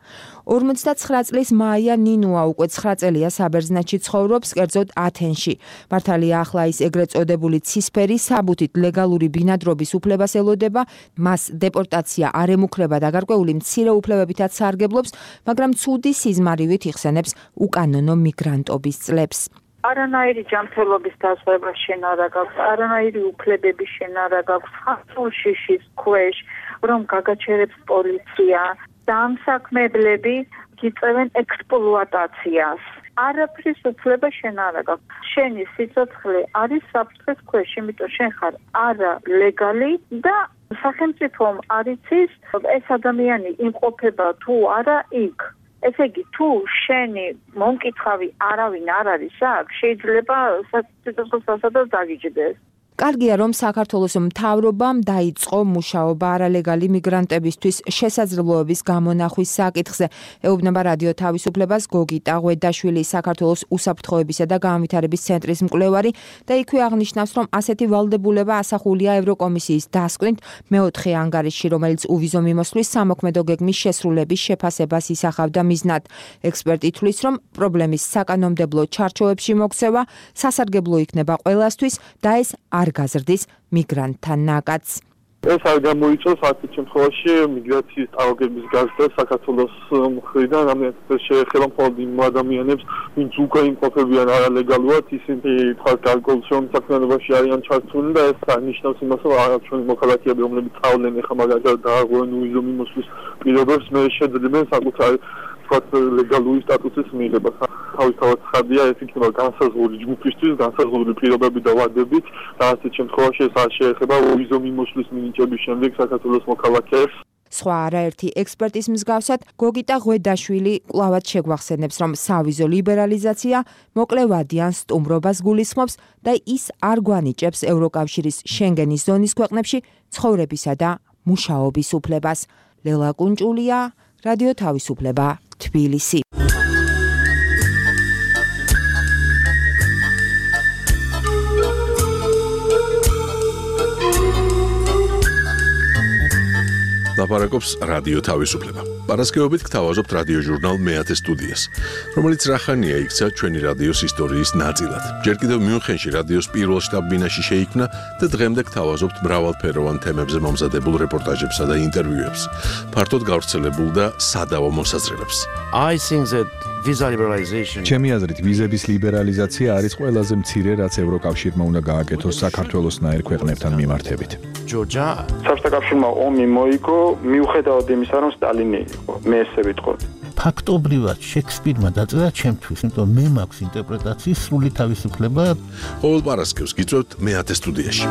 ორმოცდაცხრა წლის მაია ნინუა უკვე ცხრა წელია საბერძნეთში ცხოვრობს, კერძოდ ათენში. მართალია ახლა ის ეგრეთ წოდებული ცისფერი საბუთით ლეგალური ბინადრობის უფლებას ელოდება, მას დეპორტაცია არ ემუქრება და გარკვეული მცირე უფლებებითაც სარგებლობს, მაგრამ ცუდი სიზმარივით იხსენებს უკანონო მიგრანტობის წლებს. არანაირი ჯანმრთელობის დაზღვევა შენ არ აქვს, არანაირი უფლებები შენ არ აქვს, ხალხურ შიშის ქვეშ, რომ გაგაჩერებს პოლიცია, დამსაქმებლები გიწევენ ექსპლუატაციას. არაფრის უფლება შენ არ აქვს. შენი სიცოცხლე არის საფრთხის ქვეშ, იმიტომ შენ ხარ არალეგალი და სახელმწიფომ არ იცის ეს ადამიანი იმყოფება თუ არა იქ. ესე იგი, თუ შენი მომკითხავი არავინ არ არის აქ, შეიძლება სიცოცხლესასაც დაგიჯდეს. კარგია, რომ საქართველოს მთავრობამ დაიწყო მუშაობა არალეგალი მიგრანტებისთვის შესაძლებლობების გამონახვის საკითხზე. ეუბნება რადიო თავისუფლებას გოგიტა ღვედაშვილი, საქართველოს უსაფრთხოებისა და განვითარების ცენტრის მკვლევარი და იქვე აღნიშნავს, რომ ასეთი ვალდებულება ასახულია ევროკომისიის დასკვნით მეოთხე ანგარიშში, რომელიც უვიზო მიმოსვლის სამოქმედო გეგმის შესრულების შეფასებას ისახავდა მიზნად. ექსპერტი თვლის, რომ პრობლემის საკანონმდებლო ჩარჩოებში მოქცევა სასარგებლო იქნება ყველასთვის და ეს არ გაზრდის მიგრანტთა ნაკადს. ეს არ გამოიწვევს ასეთ შემთხვევაში მიგრაციის ტალღების გაზრდა საქართველოს მხრიდან, რამაც შეეხება მხოლოდ იმ ადამიანებს, ვინც უკვე იმყოფებიან არალეგალურად, ისინი თქვათ გარკვეულ საქმიანობაში არიან ჩართული და ეს აღნიშნავს იმას, რომ ჩვენი მოქალაქეები, რომლებიც წავლენ ეხლა მაგალითად დააღვენ უვიზო მიმოსვლის პირობებს, მე შეძლებენ საკუთარი თქვათ ლეგალური სტატუსის მიღებას. თავისთავად ხარდია ეს იქნება განსაზღვრული ჯგუფისთვის, განსაზღვრული პირობები და ვადებით და ასეთ შემთხვევაში ეს არ შეეხება უვიზო მიმოსვლის მინიჭების შემდეგ საქართველოს მოქალაქეებს. სხვა არაერთი ექსპერტის მსგავსად, გოგიტა ღვედაშვილი კვლავად შეგვახსენებს, რომ სავიზო ლიბერალიზაცია მოკლევადიან სტუმრობას გულისხმობს და ის არ გვანიჭებს ევროკავშირის შენგენის ზონის ქვეყნებში ცხოვრებისა და მუშაობის უფლებას. ლელა კუნჭულია, რადიო თავისუფლება, თბილისი. ლაპარაკობს რადიო თავისუფლება. პარასკევობით გთავაზობთ რადიო ჟურნალ მეათე სტუდიას, რომელიც რახანია იქცა ჩვენი რადიოს ისტორიის ნაწილად. ჯერ კიდევ მიუნხენში რადიოს პირველ შტაბ-ბინაში შეიქმნა და დღემდე გთავაზობთ მრავალფეროვან თემებზე მომზადებულ რეპორტაჟებსა და ინტერვიუებს, ფართოდ გავრცელებულ და სადავო მოსაზრებებს. I think that visa liberalization ჩემი აზრით ვიზების ლიბერალიზაცია არის ყველაზე მცირე, რაც ევროკავშირმა უნდა გააკეთოს საქართველოსნაირ ქვეყნებთან მიმართებით. Georgia საბჭოთა კავშირმა ომი მოიგო მიუხედავად იმისა, რომ სტალინი იყო. მე ესე ვიტყოდი. ფაქტობრივად შექსპირმა დაწერა ჩემთვის, იმიტომ მე მაქვს ინტერპრეტაციის სრული თავისუფლება. ყოველ პარასკევს გიწევთ მეათე სტუდიაში.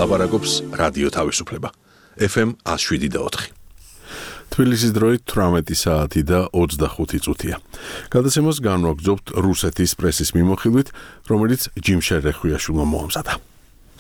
ლაპარაკობს რადიო თავისუფლება. ეფ ემ εκατო შვიდ და ოთხი. თბილისის დროით თვრამეტი საათი და ოცდახუთი წუთია. გადაცემას განვაგრძობთ რუსეთის პრესის მიმოხილვით, რომელიც ჯიმშერ რეხვიაშვილმა მოამზადა.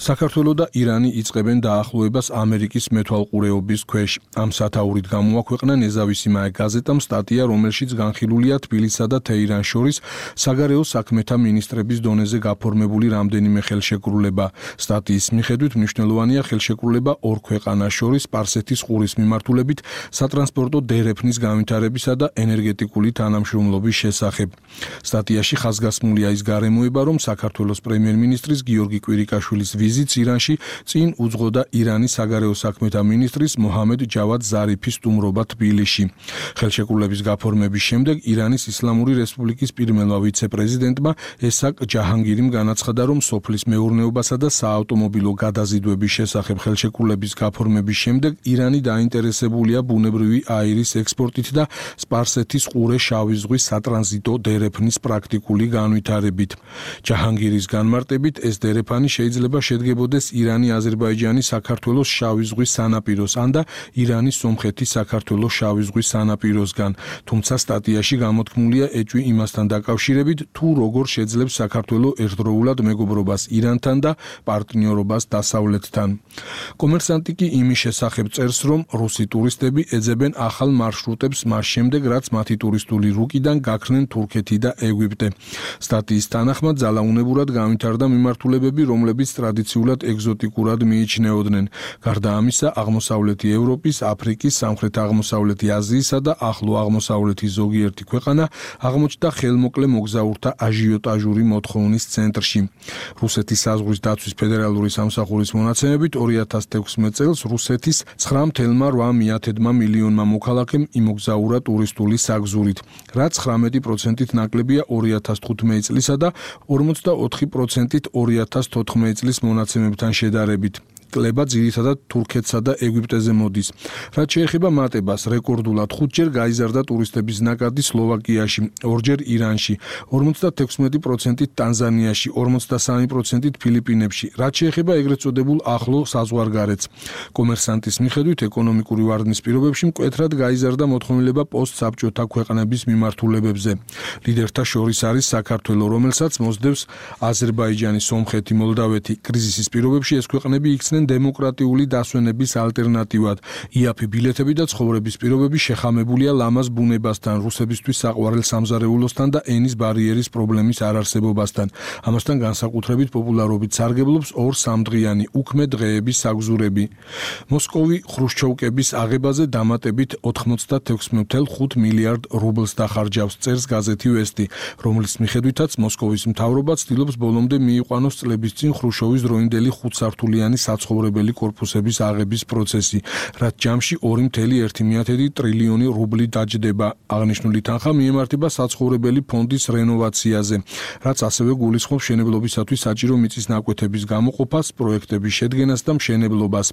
საქართველო და ირანი იწყებენ დაახლოებას ამერიკის მეთვალყურეობის ქვეშ. ამ სათაურით გამოაქვეყნა ნეზავისიმაე გაზეტამ სტატია, რომელშიც განხილულია თბილისსა და თეირანს შორის საგარეო საქმეთა მინისტრების დონეზე გაფორმებული რამდენიმე ხელშეკრულება. სტატიის მიხედვით მნიშვნელოვანია ხელშეკრულება ორ ქვეყანას შორის სპარსეთის ყურის მიმართულებით სატრანსპორტო დერეფნის განვითარებისა და ენერგეტიკული თანამშრომლობის შესახებ. სტატიაში ხაზგასმულია ის გარემოება, რომ საქართველოს პრემიერ-მინისტრის გიორგი კვირიკაშვილის ვიზიტს ირანში წინ უძღოდა ირანის საგარეო საქმეთა მინისტრის მოჰამედ ჯავად ზარიფის სტუმრობა თბილისში. ხელშეკრულების გაფორმების შემდეგ ირანის ისლამური რესპუბლიკის პირველმა ვიცე-პრეზიდენტმა ესაკ ჯაჰანგირიმ განაცხადა, რომ სოფლის მეურნეობასა და საავტომობილო გადაზიდვების შესახებ ხელშეკრულების გაფორმების შემდეგ ირანი დაინტერესებულია ბუნებრივი აირის ექსპორტით და სპარსეთის ყურე შავი ზღვის სატრანზიტო დერეფნის პრაქტიკული განვითარებით. ჯაჰანგირის განმარტებით ეს დერეფანი შეიძლება შედგებოდეს ირანი, აზერბაიჯანი, საქართველოს შავი ზღვის სანაპიროს ან და ირანის, სომხეთის, საქართველოს შავი ზღვის სანაპიროსგან. თუმცა სტატიაში გამოთქმულია ეჭვი იმასთან დაკავშირებით, თუ როგორ შეძლებს საქართველო ერთდროულად მეგობრობას ირანთან და პარტნიორობას დასავლეთთან. კომერსანტი კი იმის შესახებ წერს, რომ რუსი ტურისტები ეძებენ ახალ მარშრუტებს მას შემდეგ, რაც მათი ტურისტული რუკიდან გაქრნენ თურქეთი და ეგვიპტე. სტატიის თანახმად ძალაუნებურად განვითარდა მიმართულებები, რომლებიც ტრადიციულად ეგზოტიკურად მიიჩნეოდნენ. გარდა ამისა, აღმოსავლეთი ევროპის, აფრიკის, სამხრეთ-აღმოსავლეთი აზიისა და ახლო აღმოსავლეთის ზოგიერთი ქვეყანა აღმოჩნდა ხელმოკლე მოგზაურთა აჟიოტაჟური მოთხოვნის ცენტრში. რუსეთის საზღვრის დაცვის ფედერალური სამსახურის მონაცემებით ორი ათას თექვსმეტ წელს რუსეთის ცხრა ოცდაორი მილიონმა მილიონმა მოქალაქემ იმოგზაურა ტურისტული საგზურით, რაც ცხრამეტი პროცენტით ნაკლებია ორი ათას თხუთმეტი წლისა და ორმოცდაოთხი პროცენტით ორი ათას თოთხმეტი წლის მონაცემებთან შედარებით. კლება ძირითადად თურქეთსა და ეგვიპტეზე მოდის. რაც შეეხება მატებას, რეკორდულად ხუთჯერ გაიზარდა ტურისტების ნაკადი სლოვაკიაში, ორჯერ ირანში, ორმოცდათექვსმეტი პროცენტით ტანზანიაში, ორმოცდასამი პროცენტით ფილიპინებში. რაც შეეხება ეგრეთ წოდებულ ახლო საზღვარგარეთს. კომერსანტის მიხედვით, ეკონომიკური ვარდნის პირობებში მკვეთრად გაიზარდა მოთხოვნილება პოსტსაბჭოთა ქვეყნების მიმართულებებზე. ლიდერთა შორის არის საქართველო, რომელსაც მოსდევს აზერბაიჯანი, სომხეთი, მოლდავეთი. კრიზისის პირობებში ეს ქვეყნები იქცნენ დემოკრატიული დასვენების ალტერნატივად. იაფი ბილეთები და ცხოვრების პირობები შეხამებულია ლამაზ ბუნებასთან, რუსებისთვის საყვარელ სამზარეულოსთან და ენის ბარიერის პრობლემის არარსებობასთან. ამასთან განსაკუთრებით პოპულარობით სარგებლობს ორ სამდღიანი უქმე დღეების საგზურები. მოსკოვი ხრუშჩოვკების აღებაზე დამატებით ოთხმოცდათექვსმეტ ოცდაოთხ მილიარდ რუბლს დახარჯავს, წერს გაზეთი ვესტი, რომლის მიხედვითაც მოსკოვის მთავრობა ცდილობს ბოლომდე მიიყვანოს წლების წინ ხრუშჩოვის დროინდელი ხუთსართულიანი საცხოვრებელი კორპუსების აღების პროცესი, რაც ჯამში ორი ოცდაორი ტრილიონი რუბლი დაჯდება. აღნიშნული თანხა მიემართება საცხოვრებელი ფონდის რენოვაციაზე, რაც ასევე გულისხმობს მშენებლობისათვის საჭირო მიწის ნაკვეთების გამოყოფას, პროექტების შედგენას და მშენებლობას.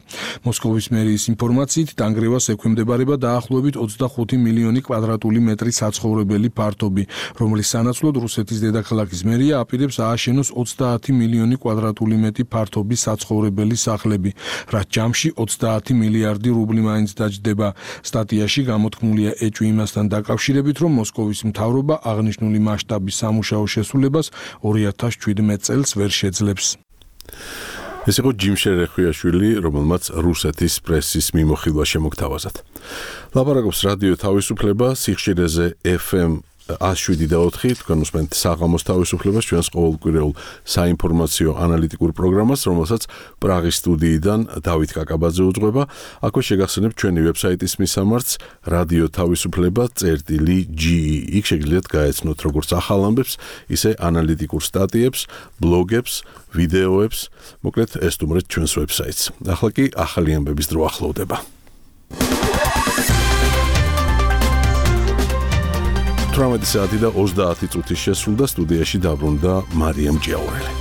მოსკოვის მერიის ინფორმაციით, დანგრევას ექვემდებარება დაახლოებით ოცდახუთი მილიონი კვადრატული მეტრი საცხოვრებელი ფართობი, რომლის სანაცვლოდ რუსეთის დედაქალაქის მერია აპირებს ააშენოს ოცდაათი მილიონი კვადრატული მეტრი ფართობის საცხოვრებელი სახლები, რაც ჯამში ოცდაათი მილიარდი რუბლი მაინც დაჯდება. სტატიაში გამოთქმულია ეჭვი იმასთან დაკავშირებით, რომ მოსკოვის მთავრობა აღნიშნული მასშტაბის სამუშაო შესრულებას ორი ათას შვიდმეტ წელს ვერ შეძლებს. ეს იყო ჯიმშე რეხვიაშვილი, რომელმაც რუსეთის პრესის მიმოხილვა შემოგთავაზათ. ლაპარაკობს რადიო თავისუფლება, სიხშირეზე ეფ ემ one oh seven და four, თქვენ უსმენთ საღამოს თავისუფლებას, ჩვენს ყოველკვირეულ საინფორმაციო ანალიტიკურ პროგრამას, რომელსაც პრაღის სტუდიიდან დავით კაკაბაძე უძღვება. აქვე შეგახსენებთ ჩვენი ვებსაიტის მისამართს radio თავისუფლება წერტილი ჯი ი. იქ შეგიძლიათ გაეცნოთ როგორც ახალ ამბებს, ისე ანალიტიკურ სტატიებს, ბლოგებს, ვიდეოებს, მოკლედ ესტუმრეთ ჩვენს ვებსაიტს. ახლა კი ახალი ამბების დრო ახლოვდება. თვრამეტი საათი და ოცდაათი წუთი შესრულდა, სტუდიაში დაბრუნდა მარიამ ჭიაურელი.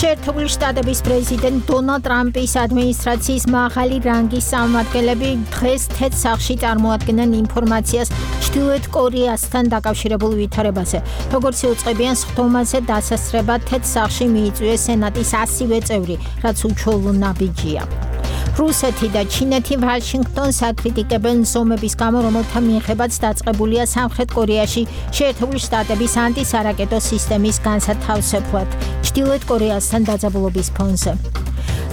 შეერთებული შტატების პრეზიდენტ დონალდ ტრამპის ადმინისტრაციის მაღალი რანგის წარმომადგენლები დღეს თეთრ სახლში წარმოადგენენ ინფორმაციას ჩრდილოეთ კორეასთან დაკავშირებულ ვითარებაზე. როგორც იუწყებიან სხდომაზე დასასრება თეთრ სახლში მიიწვიეს სენატის ასივე წევრი, რაც უჩვეულო ნაბიჯია. რუსეთი და ჩინეთი ვაშინგტონს აკრიტიკებენ ზომების გამო, რომელთა მიხედვაც დაწყებულია სამხრეთ კორეაში შეერთებული შტატების ანტისარაკეტო სისტემის განსათავსებლად ჩრდილოეთ კორეასთან დაძაბულობის ფონზე.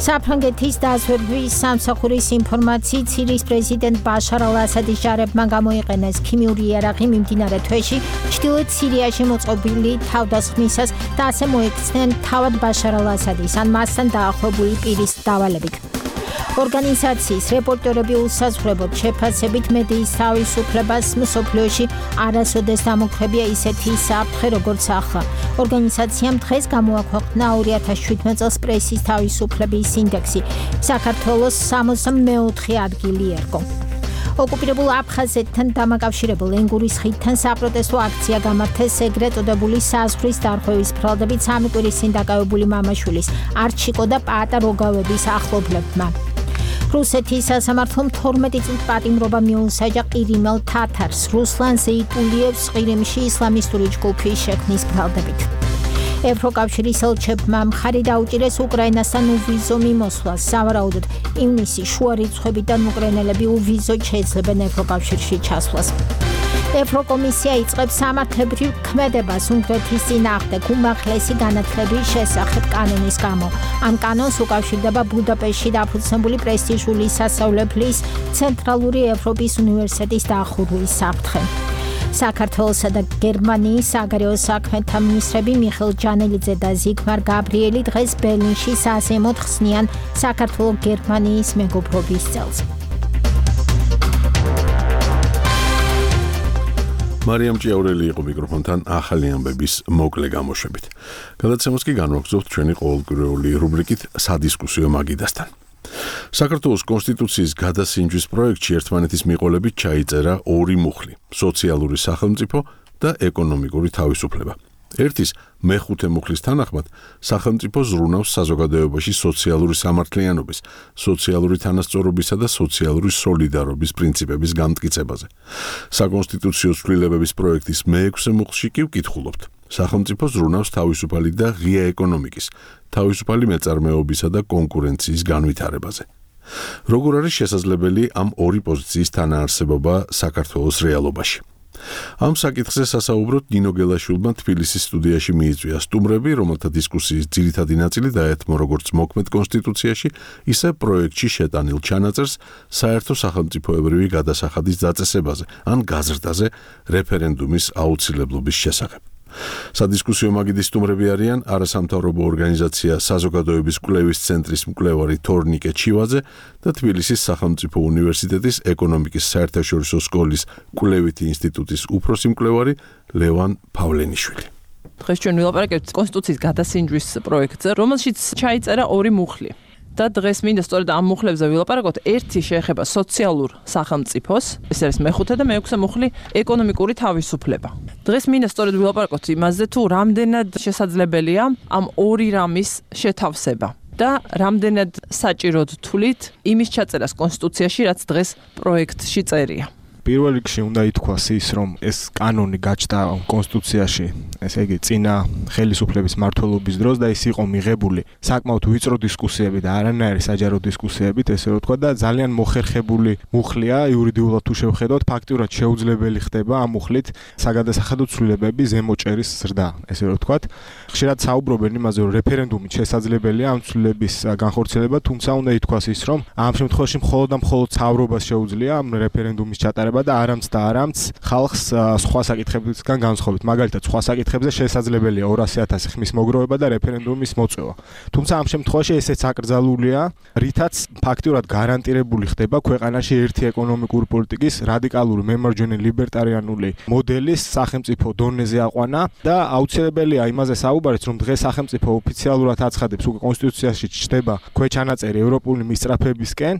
საფრანგეთის დაზვერვის სამსახურის ინფორმაციით სირიის პრეზიდენტ ბაშარ ალ-ასადის ჯარებმა გამოიყენეს ქიმიური იარაღი მიმდინარე თვეში ჩრდილოეთ სირიაში მოწყობილი თავდასხმისას და ასე მოიქცნენ თავად ბაშარ ალ-ასადის ან მასთან დაახლოებული პირის დავალებით. ორგანიზაციის რეპორტერები უსაზღვრებოდ შეფასებით მედიის თავისუფლებას მსოფლიოში არასოდეს დამოკრებია ისეთი საფრთხე როგორც ახლა. ორგანიზაციამ დღეს გამოაქვეყნა ორი ათას შვიდმეტ წელს პრესის თავისუფლების ინდექსი. საქართველოს სამოცდამეოთხე ადგილი ერგო. ოკუპირებულ აფხაზეთთან დამაკავშირებულ ენგურის ხიდთან საპროტესტო აქცია გამართეს ეგრეთ წოდებული საზღვრის დარღვევის ბრალდებით სამი კვირის წინ დაკავებული მამაშვილის არჩიკო და პაატა როგავების ახლობლებმა. რუსეთის სასამართლომ თორმეტი წლის პატიმრობა მიუსაჯა ყირიმელ თათარს რუსლან ზეიტულიევს ყირიმში ისლამისტური ჯგუფის შექმნის ბრალდებით. ევროკავშირის ელჩებმა მხარი დაუჭირეს უკრაინასთან უვიზო მიმოსვლას. სავარაუდოდ ივნისის შუა რიცხვებიდან უკრაინელები უვიზოდ შეეძლებენ ევროკავშირში ჩასვლას. ევროკომისია იწყებს სამართლებრივ ქმედებას უნგრეთის წინააღმდეგ უმაღლესი განათლების შესახებ კანონის გამო. ამ კანონს უკავშირდება ბუდაპეშტში დაფუძნებული პრესტიჟული სასწავლებლის ცენტრალური ევროპის უნივერსიტეტის დახურვის საფრთხე. საქართველოსა და გერმანიის საგარეო საქმეთა მინისტრები მიხეილ ჯანელიძე და ზიგმარ გაბრიელი დღეს ბერლინში საზეიმოდ ხსნიან საქართველო-გერმანიის მეგობრობის წელს. მარიამ ჭიაურელი იყო მიკროფონთან ახალი ამბების მოკლე გამოშვებით. გადაცემას კი განვაგრძობთ ჩვენი ყოველკვირეული რუბრიკით სადისკუსიო მაგიდასთან. საქართველოს კონსტიტუციის გადასინჯვის პროექტში ერთმანეთის მიყოლებით ჩაიწერა ორი მუხლი: სოციალური სახელმწიფო და ეკონომიკური თავისუფლება. ერთის მეხუთე მუხლის თანახმად სახელმწიფო ზრუნავს საზოგადოებაში სოციალური სამართლიანობის, სოციალური თანასწორობისა და სოციალური სოლიდარობის პრინციპების განმტკიცებაზე. საკონსტიტუციო ცვლილებების პროექტის მეექვსე მუხლში კი ვკითხულობთ: სახელმწიფო ზრუნავს თავისუფალი და ღია ეკონომიკის, თავისუფალი მეწარმეობისა და კონკურენციის განვითარებაზე. როგორ არის შესაძლებელი ამ ორი პოზიციის თანაარსებობა საქართველოს რეალობაში? ამ საკითხზე სასაუბროდ ნინო გელაშვილმა თბილისის სტუდიაში მიიწვია სტუმრები, რომელთა დისკუსიის ძირითადი ნაწილი დაეთმო როგორც მოქმედ კონსტიტუციაში, ისე პროექტში შეტანილ ჩანაწერს საერთო სახელმწიფოებრივი გადასახადის დაწესებაზე ან გაზრდაზე რეფერენდუმის აუცილებლობის შესახებ. სადისკუსიო მაგიდის სტუმრები არიან არასამთავრობო ორგანიზაცია საზოგადოების კვლევის ცენტრის მკვლევარი თორნიკე ჩივაძე და თბილისის სახელმწიფო უნივერსიტეტის ეკონომიკის საერთაშორისო სკოლის კვლევითი ინსტიტუტის უფროსი მკვლევარი ლევან პავლენიშვილი. დღეს ჩვენ ვილაპარაკებთ კონსტიტუციის გადასინჯვის პროექტზე, რომელშიც ჩაიწერა ორი მუხლი. და დღეს მინდა სწორედ ამ მუხლებზე ვილაპარაკოთ. ერთი შეეხება სოციალურ სახელმწიფოს, ეს არის მეხუთე და მეექვსე მუხლი ეკონომიკური თავისუფლება. დღეს მინდა სწორედ ვილაპარაკოთ იმაზე, თუ რამდენად შესაძლებელია ამ ორი რამის შეთავსება და რამდენად საჭიროდ თვლით იმის ჩაწერას კონსტიტუციაში, რაც დღეს პროექტში წერია. პირველ რიგში უნდა ითქვას ის, რომ ეს კანონი გაჩნდა კონსტიტუციაში, ესე იგი წინა ხელისუფლების მმართველობის დროს და ის იყო მიღებული საკმაოდ ვიწრო დისკუსიებით და არანაირი საჯარო დისკუსიებით, ესე რომ ვთქვა და ძალიან მოხერხებული მუხლია იურიდიულად თუ შევხედოთ, ფაქტიურად შეუძლებელი ხდება ამ მუხლით საგადასახადო ცვლილებების ზემოჭერის ზრდა, ესე რომ ვთქვა. ხშირად საუბრობენ იმაზე, რომ რეფერენდუმით შესაძლებელია ამ ცვლილების განხორციელება, თუმცა უნდა ითქვას ის, რომ ამ შემთხვევაში მხოლოდ და მხოლოდ საუბრობას შეუძლია ამ რეფერენდუმის ჩატარება და არამც და არამც ხალხს სხვა საკითხებისგან განსხვავებით. მაგალითად, სხვა საკითხებზე შესაძლებელია ორასი ათასი ხმის მოგროვება და რეფერენდუმის მოწევა. თუმცა ამ შემთხვევაში ესეც აკრძალულია, რითაც ფაქტიურად გარანტირებული ხდება ქვეყანაში ერთი ეკონომიკური პოლიტიკის რადიკალური მემარჯვენე ლიბერტარიანული მოდელის სახელმწიფო დონეზე აყვანა და აუცილებელია იმაზე საუბარიც, რომ დღეს სახელმწიფო ოფიციალურად აცხადებს, უკვე კონსტიტუციაში ჩნდება ქვეჩანაწერი ევროპული მისწრაფებისკენ,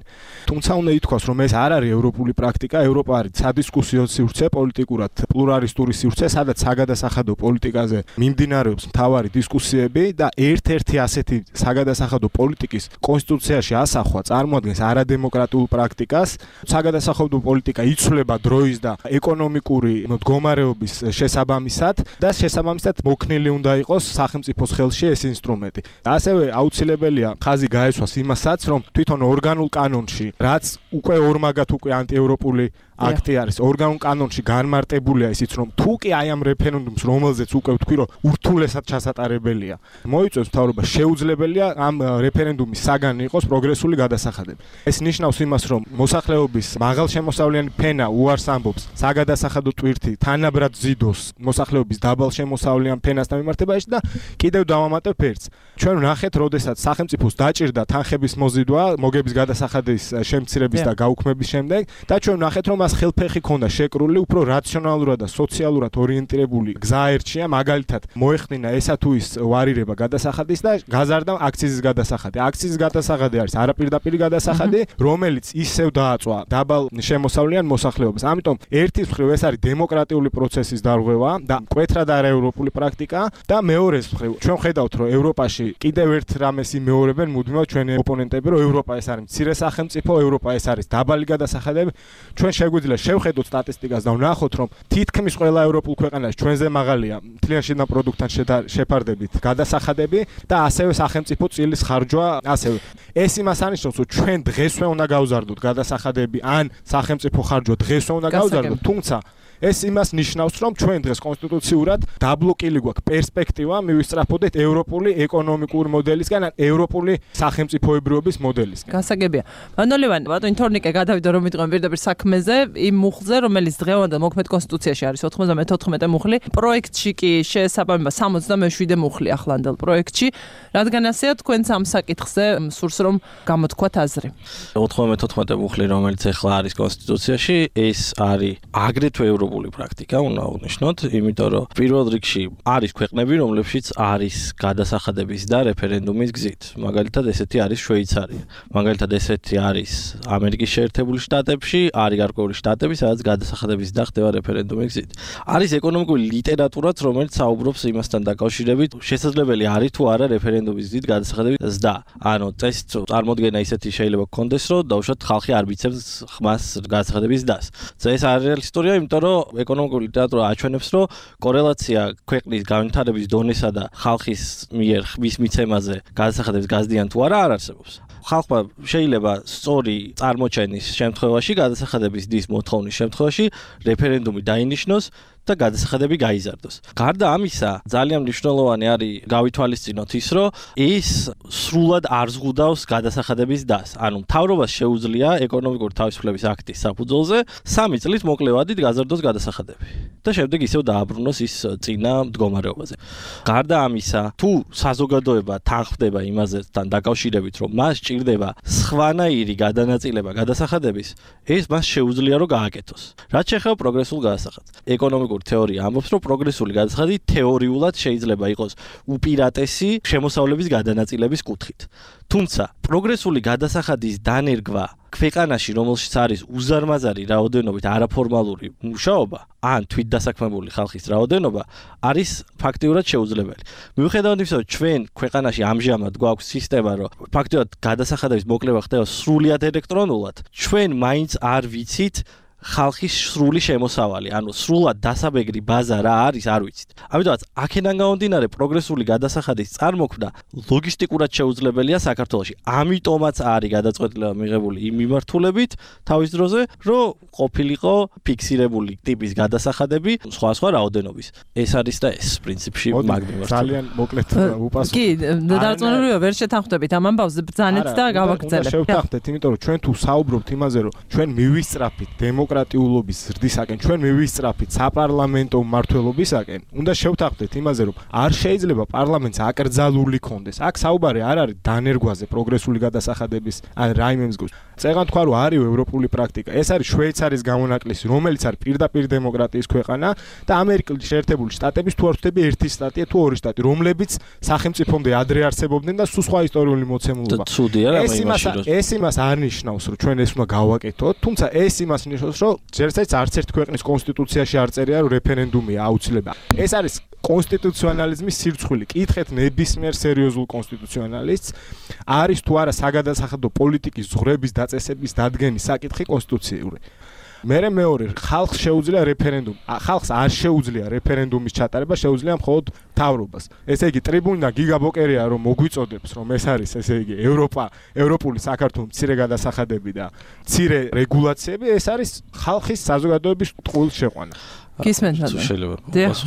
თუმცა უნდა ითქვას, რომ ეს არ არის ევროპული პრაქტიკა, ევროპა არის სადისკუსიო სივრცე, პოლიტიკურად პლურალისტური სივრცე, სადაც საგადასახადო პოლიტიკაზე მიმდინარეობს მთავარი დისკუსიები და ერთ-ერთი ასეთი საგადასახადო პოლიტიკის კონსტიტუციაში ასახვა წარმოადგენს არადემოკრატიულ პრაქტიკას. საგადასახადო პოლიტიკა იცვლება დროის და ეკონომიკური მდგომარეობის შესაბამისად და შესაბამისად მოქნილი უნდა იყოს სახელმწიფოს ხელში ეს ინსტრუმენტი. ასევე აუცილებელია ხაზი გაესვას იმასაც, რომ თვითონ ორგანულ კანონში, რაც უკვე ორმაგად უკვე ანტიევროპული აქტი არის, ორგანულ კანონში განმარტებულია ისიც, რომ თუ კი აი ამ რეფერენდუმს, რომელზეც უკვე ვთქვი, რომ ურთულესად ჩასატარებელია, მოიწევს მთავრობა, შეუძლებელია ამ რეფერენდუმის საგანი იყოს პროგრესული გადასახადები. ეს ნიშნავს იმას, რომ მოსახლეობის მაღალშემოსავლიანი ფენა უარს ამბობს საგადასახადო ტვირთი თანაბრად ზიდოს მოსახლეობის დაბალშემოსავლიან ფენასთან მიმართებაში და კიდევ დავამატებ ერთს. ჩვენ ვნახეთ, როდესაც სახელმწიფოს დაჭირდა თანხების მოზიდვა მოგების გადასახადის შემცირების და გაუქმების შემდეგ და ჩვენ ვნახეთ, რომ მას ხელფეხი ქონდა შეკრული, უფრო რაციონალურად და სოციალურად ორიენტირებული გზა ერჩია, მაგალითად მოეხდინა ესა თუ ის ვარირება გადასახადის და გაზარდა აქციზის გადასახადი. აქციზის გადასახადი არის არაპირდაპირი გადასახადი, რომელიც ისევ დააწვა დაბალ შემოსავლიან მოსახლეობას. ამიტომ ერთის მხრივ ეს არის დემოკრატიული პროცესის დარღვევა და მკვეთრად არაევროპული პრაქტიკა და მეორეს მხრივ ჩვენ ხედავთ, რომ ევროპაში კიდევ ერთ რამეს იმეორებენ მუდმივად ჩვენი ოპონენტები, რომ ევროპა ეს არის მცირე სახელმწიფო, ევროპა ეს არის დაბალი გადასახადები. ჩვენ შეგვიძლია შევხედოთ სტატისტიკას და ვნახოთ, რომ თითქმის ყველა ევროპულ ქვეყანაში ჩვენზე მაღალია მთლიან შინაგან პროდუქტთან შეფარდებით გადასახადები და ასევე სახელმწიფო წილის ხარჯვა ასევე. ეს იმას ანიშნავს, რომ ჩვენ დღესვე უნდა გავზარდოთ გადასახადები ან სახელმწიფო ხარჯვა დღესვე უნდა გავზარდოთ, თუმცა ეს იმას ნიშნავს, რომ ჩვენ დღეს კონსტიტუციურად დაბლოკილი გვაქვს პერსპექტივა მივისწრაფოდეთ ევროპული ეკონომიკური მოდელისგან, ან ევროპული სახელმწიფოებრიობის მოდელისგან. გასაგებია. მანოლევან, ბატონი თორნიკე გადავიდა რომ მიტყვენ პირდაპირ საქმეზე, იმ მუხლზე, რომელიც დღევანდელ მოქმედ კონსტიტუციაში არის ოთხმოცდამეთოთხმეტე მუხლი, პროექტში კი შეესაბამება სამოცდამეშვიდე მუხლი ახლანდელ პროექტში, რადგან ასეა თქვენც ამ საკითხზე სურს რომ გამოთქვათ აზრი. ოთხმოცდამეთოთხმეტე მუხლი, რომელიც ახლა არის კონსტიტუციაში, ეს არის აგრეთვე ევროპული პრაქტიკა, უნდა აღნიშნოთ, იმიტომ რომ პირველ რიგში არის ქვეყნები, რომლებშიც არის გადასახადების და რეფერენდუმის გზით. მაგალითად, ესეთი არის შვეიცარია. მაგალითად, ესეთი არის ამერიკის შეერთებული შტატებში, არის გარკვეული შტატები, სადაც გადასახადების და ხდება რეფერენდუმის გზით. არის ეკონომიკური ლიტერატურაც, რომელიც საუბრობს იმასთან დაკავშირებით, შესაძლებელი არის თუ არა რეფერენდუმის გზით გადასახადების ზრდა. ანუ წესით წარმოდგენა ისეთი შეიძლება გქონდეს, რომ დაუშვათ ხალხი არ მიცემს ხმას გადასახადების ზრდას. ეს არის რეალისტურია, იმიტომ რომ ეკონომიკური ლიტერატურა აჩვენებს, რომ კორელაცია ქვეყნის განვითარების დონესა და ხალხის მიერ ხმის მიცემაზე გადასახადების გაზრდიან თუ არა არ არსებობს. ხალხმა შეიძლება სწორი წარმოჩენის შემთხვევაში, გადასახადების დის მოთხოვნის შემთხვევაში რეფერენდუმი დაინიშნოს და გადასახადები გაიზარდოს. გარდა ამისა, ძალიან მნიშვნელოვანი არის გავითვალისწინოთ ის, რომ ის სრულად არ ზღუდავს გადასახადების დას. ანუ მთავრობას შეუძლია ეკონომიკური თავისუფლების აქტის საფუძველზე სამი წლის მოკლევადით გაზარდოს გადასახადები და შემდეგ ისევ დააბრუნოს ის წინა მდგომარეობაზე. გარდა ამისა, თუ საზოგადოება თანხმდება იმასთან დაკავშირებით, რომ მას სჭირდება სხვანაირი გადანაწილება გადასახადების, ეს მას შეუძლია რომ გააკეთოს. რაც შეეხება პროგრესულ გადასახადს. ეკონომიკური თეორია ამბობს, რომ პროგრესული გადასახადი თეორიულად შეიძლება იყოს უპირატესი შემოსავლების გადანაწილების კუთხით. თუმცა პროგრესული გადასახადის დანერგვა ქვეყანაში, რომელშიც არის უზარმაზარი რაოდენობით არაფორმალური მუშაობა, ან თვითდასაქმებული ხალხის რაოდენობა, არის ფაქტიურად შეუძლებელი. მიუხედავად იმისა, რომ ჩვენ ქვეყანაში ამჟამად გვაქვს სისტემა, რომ ფაქტიურად გადასახადების მოკლება ხდება სრულიად ელექტრონულად, ჩვენ მაინც არ ვიცით ხალხის სრული შემოსავალი, ანუ სრულად დასაბეგრი ბაზა რა არის, არ ვიცით. ამიტომაც აქედან გამომდინარე პროგრესული გადასახადის წარმოქმნა ლოგისტიკურად შეუძლებელია საქართველოში. ამიტომაც არის გადაწყვეტილება მიღებული იმ მიმართულებით თავის დროზე, რომ ყოფილიყო ფიქსირებული ტიპის გადასახადები სხვა სხვა რაოდენობის. ეს არის და ეს პრინციპში მაგ მიმართულებით. ძალიან მოკლედ უპასუხო. კი, დარწმუნებულია ვერ შეთანხმდებით ამ ამბავს ბრძანეთ და გავაგრძელებ. შევთანხმდეთ, იმიტომ რომ ჩვენ თუ საუბრობთ იმაზე, რომ ჩვენ მივისწრაფით დემოკრატიულობის ზრდისაკენ, ჩვენ მივისწრაფით საპარლამენტო მმართველობისაკენ, უნდა შევთანხმდეთ იმაზე, რომ არ შეიძლება პარლამენტს აკრძალული კონდეს. აქ საუბარი არ არის დანერგვაზე პროგრესული გადასახადების ან რაიმე მსგავს. წეგან თქვა რომ არის ევროპული პრაქტიკა. ეს არის შვეიცარიის გამონაკლისი, რომელიც არის პირდაპირ დემოკრატიის ქვეყანა და ამერიკის შეერთებული შტატების თუ არ ვთქვი ერთი შტატია თუ ორი შტატი, რომლებიც სახელმწიფომდე ადრე არსებობდნენ და სულ სხვა ისტორიული მოცემულობა. ეს იმას ეს იმას არ ნიშნავს, რომ ჩვენ ეს უნდა გავაკეთოთ, თუმცა ეს იმას ნიშნავს, რომ ჯერცაც არც ერთ ქვეყნის კონსტიტუციაში არ წერია, რომ რეფერენდუმია აუცილებელი. ეს არის კონსტიტუციონალიზმის სირცხვილი. კითხეთ ნებისმიერ სერიოზულ კონსტიტუციონალისტს, არის თუ არა საგადასახადო პოლიტიკის ზღვრების დაწესების დადგენის საკითხი კონსტიტუციური. მერე მეორე, ხალხს შეუძლია რეფერენდუმი. ხალხს არ შეუძლია რეფერენდუმის ჩატარება, შეუძლია მხოლოდ მთავრობას. ესე იგი, ტრიბუნიდან გიგაბოკერია რომ მოგვიწოდებს, რომ ეს არის, ესე იგი, ევროპა, ევროპული საქართველოს მცირე გადასახადები და მცირე რეგულაციები, ეს არის ხალხის საზოგადოების ტყუილ შეყვანა. გისმენთ რა შეიძლება.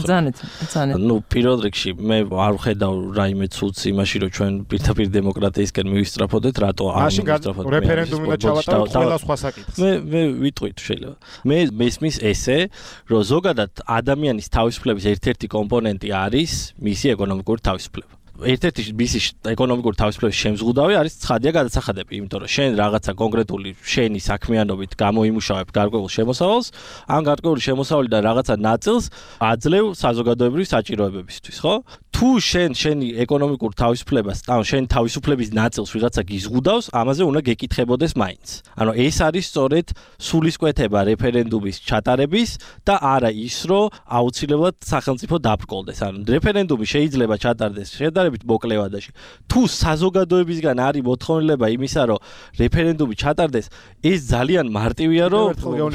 ძანეთ, ძანეთ. ნუ პირველ რიგში მე არ ვხედავ რაიმე ცუდს იმაში, რომ ჩვენ პირდაპირ დემოკრატიისკენ მივისწრაფოდეთ, რატო არ მივისწრაფოდეთ? რეფერენდუმი და ჩავატაროთ ყველა სხვა საკითხს. მე მე ვიტყვით შეიძლება. მე მესმის ესე, რომ ზოგადად ადამიანის თავისუფლების ერთ-ერთი კომპონენტი არის მისი ეკონომიკური თავისუფლება. ერთ-ერთი მისი ეკონომიკური თავისუფლების შემზღუდავი არის ცხადია გადასახადები, იმიტომ რომ შენ რაღაცა კონკრეტული შენი საქმიანობით გამოიმუშავებ გარკვეულ შემოსავალს, ან გარკვეული შემოსავლიდან რაღაცა ნაწილს აძლევ საზოგადოებრივი საჭიროებებისთვის, ხო? თუ შენ შენი ეკონომიკურ თავისუფლებას, ან შენ თავისუფლების ნაწილს ვიღაცა გიზღუდავს, ამაზე უნდა გეკითხებოდეს მაინც. ანუ ეს არის სწორედ სულისკვეთება რეფერენდუმის ჩატარების და არა ის, რომ აუცილებლად სახელმწიფო დაბრკოლდეს. ანუ რეფერენდუმი შეიძლება ჩატარდეს შედარებით მოკლე ვადაში. თუ საზოგადოებისგან არის მოთხოვნილება იმისა, რომ რეფერენდუმი ჩატარდეს, ეს ძალიან მარტივია, რომ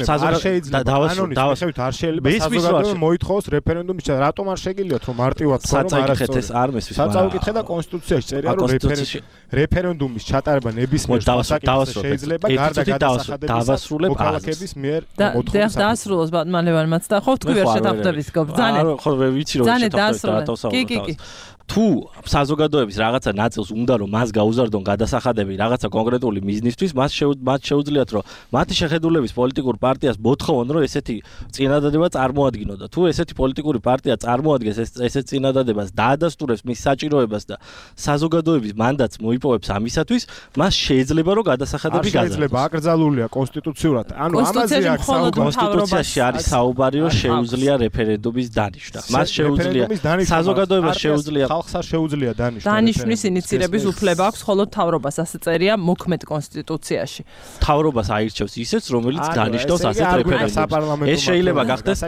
საზოგადოება დავასრულოთ, არ შეიძლება საზოგადოება მოითხოვოს რეფერენდუმის ჩატარება. რატომ არ შეგიძლიათ რომ მარტივად თქვა რომ ეს არ მესმის. საწაუკითხე და კონსტიტუციაში წერია რომ რეფერენდუმის ჩატარება ნებისმიერ დავასრულოთ შეიძლება გარდა გადასახადების მოქალაქეების მიერ მოთხოვნილება. და დაასრულოს ბატმალევანმაც და ხო თქვი ვერ შეთანხმდებით გობძანეთ. ხო ვიცი რომ შეთანხმდებით. კი კი კი. თუ საზოგადოების რაღაცა ნაწილს უნდა რომ მას გაუზარდონ გადასახადები რაღაცა კონკრეტული მიზნისთვის, მას მათ შეუძლიათ რომ მათი შეხედულების პოლიტიკურ პარტიას მოთხოვონ რომ ესეთი წინადადება წარმოადგინონ და თუ ესეთი პოლიტიკური პარტია წარმოადგენს ესეთ წინადადებას და ადასტურებს მის საჭიროებას და საზოგადოების მანდატს მოიპოვებს ამისათვის, მას შეიძლება რომ გადასახადები გაზარდოს. შეიძლება აკრძალულია კონსტიტუციურად. ანუ ამაზე აქ კონსტიტუციაში არის საუბარი რომ შეუძლია რეფერენდუმის დანიშნა. მას შეუძლია საზოგადოებას შეუძლია ხალხს არ შეუძლია დანიშნოს. დანიშნვის ინიციირების უფლება აქვს მხოლოდ მთავრობას, ასე წერია მოქმედ კონსტიტუციაში. მთავრობას აირჩევს ისეც, რომელიც დანიშნავს ასეთ რეფერენდუმს. ეს შეიძლება გახდეს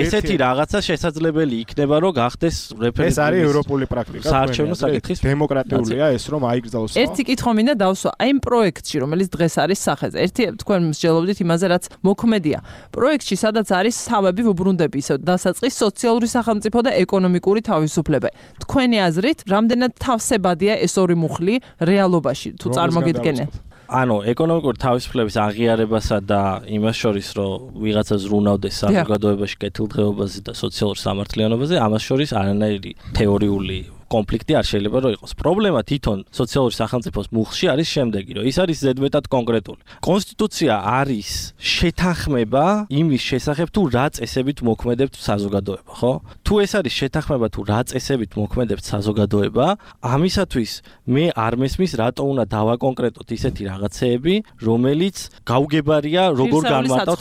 ესეთი რაღაცა შესაძლებელი იქნება, რომ გახდეს რეფერენდუმი. ეს არის ევროპული პრაქტიკა. საარჩევნო საკითხის დემოკრატიულია ეს, რომ აიგზავნოს. ერთი კითხვა მინდა დავსვა, აი იმ პროექტში, რომელიც დღეს არის სახეზე. ერთი თქვენ მსჯელობდით იმაზე, რაც მოქმედია. პროექტში, სადაც არის თავები ვუბრუნდები, ისე დასაწყის სოციალური სახელმწიფო და ეკონომიკური თავისუფლება. თქვენი აზრით, რამდენად თავსებადია ეს ორი მუხლი რეალობაში, თუ წარმოგიდგენთ? ანუ ეკონომიკური თავისუფლების აღიარებასა და იმას შორის, რომ ვიღაცა ზრუნავდეს საზოგადოებაში კეთილდღეობაზე და სოციალურ სამართლიანობაზე, ამას შორის არანაირი თეორიული კონფლიქტი არ შეიძლება რომ იყოს. პრობლემა თვითონ სოციალური სახელმწიფოს მუხლში არის შემდეგი, რომ ის არის ზედმეტად კონკრეტული. კონსტიტუცია არის შეთანხმება იმის შესახებ, თუ რა წესებით მოქმედებთ საზოგადოება, ხო? თუ ეს არის შეთანხმება, თუ რა წესებით მოქმედებთ საზოგადოება, ამისათვის მე არ მესმის, რატო უნდა დავაკონკრეტოთ ისეთი რაღაცეები, რომელიც გაუგებარია როგორ განმარტავთ.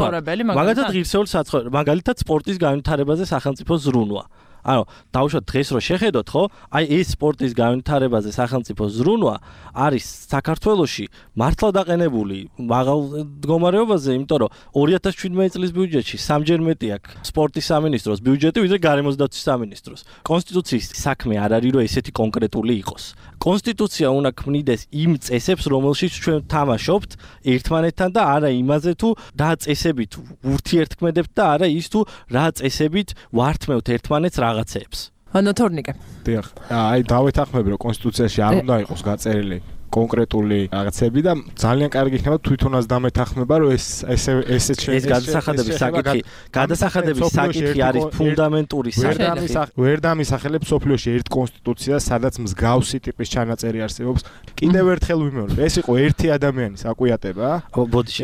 მაგალითად ღირსეული საცხოვრებელი, მაგალითად სპორტის განვითარებაზე სახელმწიფოს ზრუნვა. ანუ დავუშვათ დღეს რო შეხედოთ, ხო? აი ეს სპორტის განვითარებაზე სახელმწიფო ზრუნვა არის საქართველოში მართლა დაყენებული მაღალ მდგომარეობაზე, იმიტომ რომ ორი ათას შვიდმეტი წლის ბიუჯეტში სამჯერ მეტი აქვს სპორტის სამინისტროს ბიუჯეტი, ვიდრე გარემოს დაცვის სამინისტროს. კონსტიტუციის საქმე არ არის, რომ ესეთი კონკრეტული იყოს. კონსტიტუცია უნდა ქმნიდეს იმ წესებს, რომელშიც ჩვენ თამაშობთ ერთმანეთთან და არა იმაზე თუ რა წესებით ურთიერთქმედებთ და არა ის თუ რა წესებით ვართმევთ ერთმანეთს რაღაცეებს. ანუ თორნიკე. დიახ. აი დავეთანხმები, რომ კონსტიტუციაში არ უნდა იყოს გაწერილი კონკრეტული რაღაცები და ძალიან კარგი იქნება თვითონაც დამეთანხმება, რომ ეს ესე ესეც ეს გადასახადების საკითხი, გადასახადების საკითხი არის ფუნდამენტური საკითხი. ვერ დამისახელებს სოფლიოში ერთ კონსტიტუციას, სადაც მსგავსი ტიპის ჩანაწერი არსებობს. კიდევ ერთხელ ვიმეორებ, ეს იყო ერთი ადამიანის აკვიატება. ბოდიში,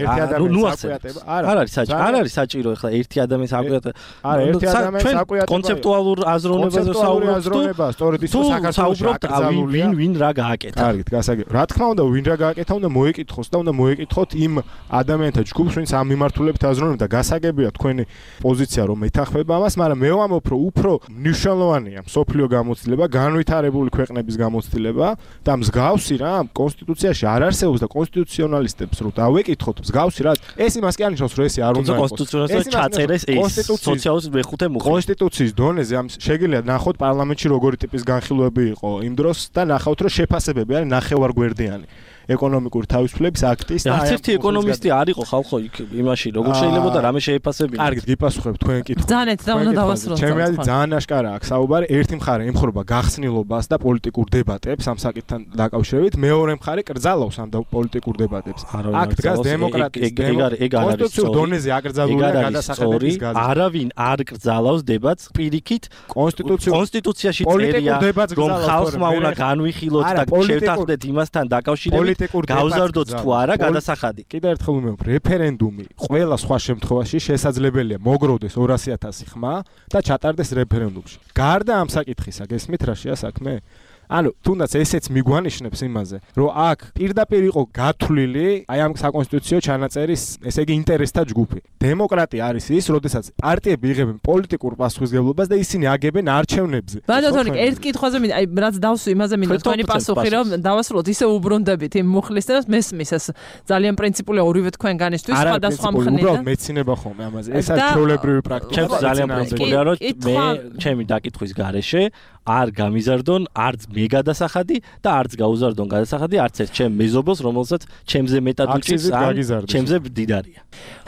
ნუ ახსენებ. არ არის საჭირო, არ არის საჭირო ახლა ერთი ადამიანის აკვიატება. არა, ერთი ადამიანის აკვიატება. კონცეპტუალურ აზროვნებაზე საუბრობთ. სწორედ ის საუბრობთ, ვინ ვინ რა გააკეთა. კარგით, გასაგებია. რა თქმა უნდა, ვინ რა გააკეთა, უნდა მოეკითხოს და უნდა მოეკითხოთ იმ ადამიანთა ჯგუფს, ვინც ამ მიმართულებით აზროვნებდა და გასაგებია თქვენი პოზიცია, რომ ეთანხმება ამას, მაგრამ მე ვამბობ, რომ უფრო მნიშვნელოვანია მსოფლიო გამოცდილება, განვითარებული ქვეყნების გამოცდილება და მსგავსი რა კონსტიტუციაში არ არსებობს და კონსტიტუციონალისტებს რო დავეკითხოთ მსგავსი რა ეს იმას კი არნიშნავს, რომ ესე არ უნდა იყოს. კონსტიტუციაში ჩაწერეს ეს სოციალიზმის მეხუთე მუხლი. კონსტიტუციის დონეზე ამ შეგიძლიათ ნახოთ პარლამენტში როგორი ტიპის განხილვები იყო იმ დროს და ნახავთ, რომ შეფასებები არის ნახევარგვერდიანი. ეკონომიკური თავისუფლების აქტის და არც ერთი ეკონომისტი არ იყო ხალხო იქ იმაში როგორ შეიძლება და რამე შეეფასებინა. კარგით, გიპასუხებ თქვენ კითხვა. ძალიან და უნდა დავასრულოთ. ჩემი აზრით ძალიან აშკარა აქვს საუბარი. ერთი მხარე ემხრობა გახსნილობას და პოლიტიკურ დებატებს ამ საკითხთან დაკავშირებით, მეორე მხარე კრძალავს ამ პოლიტიკურ დებატებს. აქ დგას დემოკრატიის კონსტიტუციურ დონეზე აკრძალულია გადასახადების გაზრდა. არავინ არ კრძალავს დებატს პირიქით კონსტიტუციურ კონსტიტუციაში წერია რომ ხალხმა უნდა განვიხილოთ და შევთანხმდეთ იმასთან დაკავშირებით გავზარდოთ თუ არა გადასახადი. კიდევ ერთხელ ვიმეორებ, რეფერენდუმი ყველა სხვა შემთხვევაში შესაძლებელია მოგროვდეს ორასი ათასი ხმა და ჩატარდეს რეფერენდუმში. გარდა ამ საკითხისა, გესმით რა შეა საქმე? ანუ თუნდაც ესეც მიგვანიშნებს იმაზე, რომ აქ პირდაპირ იყო გათვლილი აი ამ საკონსტიტუციო ჩანაწერის, ესე იგი ინტერესთა ჯგუფი. დემოკრატია არის ის, როდესაც პარტიები იღებენ პოლიტიკურ პასუხისმგებლობას და ისინი აგებენ არჩევნებზე. ბატონიკ, ერთ კითხვაზე მინდა, აი რაც დავსვი, იმაზე მინდა თქვენი პასუხი, რომ დავასრულოთ, ისე უბრუნდებით იმ მუხლის და მესმის ეს ძალიან პრინციპულია ორივე თქვენგანისთვის სხვადასხვა მხრიდან. უბრალოდ მეცინება ხოლმე ამაზე. ეს არის ჩვეულებრივი პრაქტიკა. ჩემს ძალიან პრინციპულია, რომ მე ჩემი დაკითხვის გარეშე არ გამიზარდონ არც მე გადასახადი და არც გაუზარდონ გადასახადი არც ერთ ჩემ მეზობელს, რომელსაც ჩემზე მეტად უჭირს, ჩემზე დიდარია.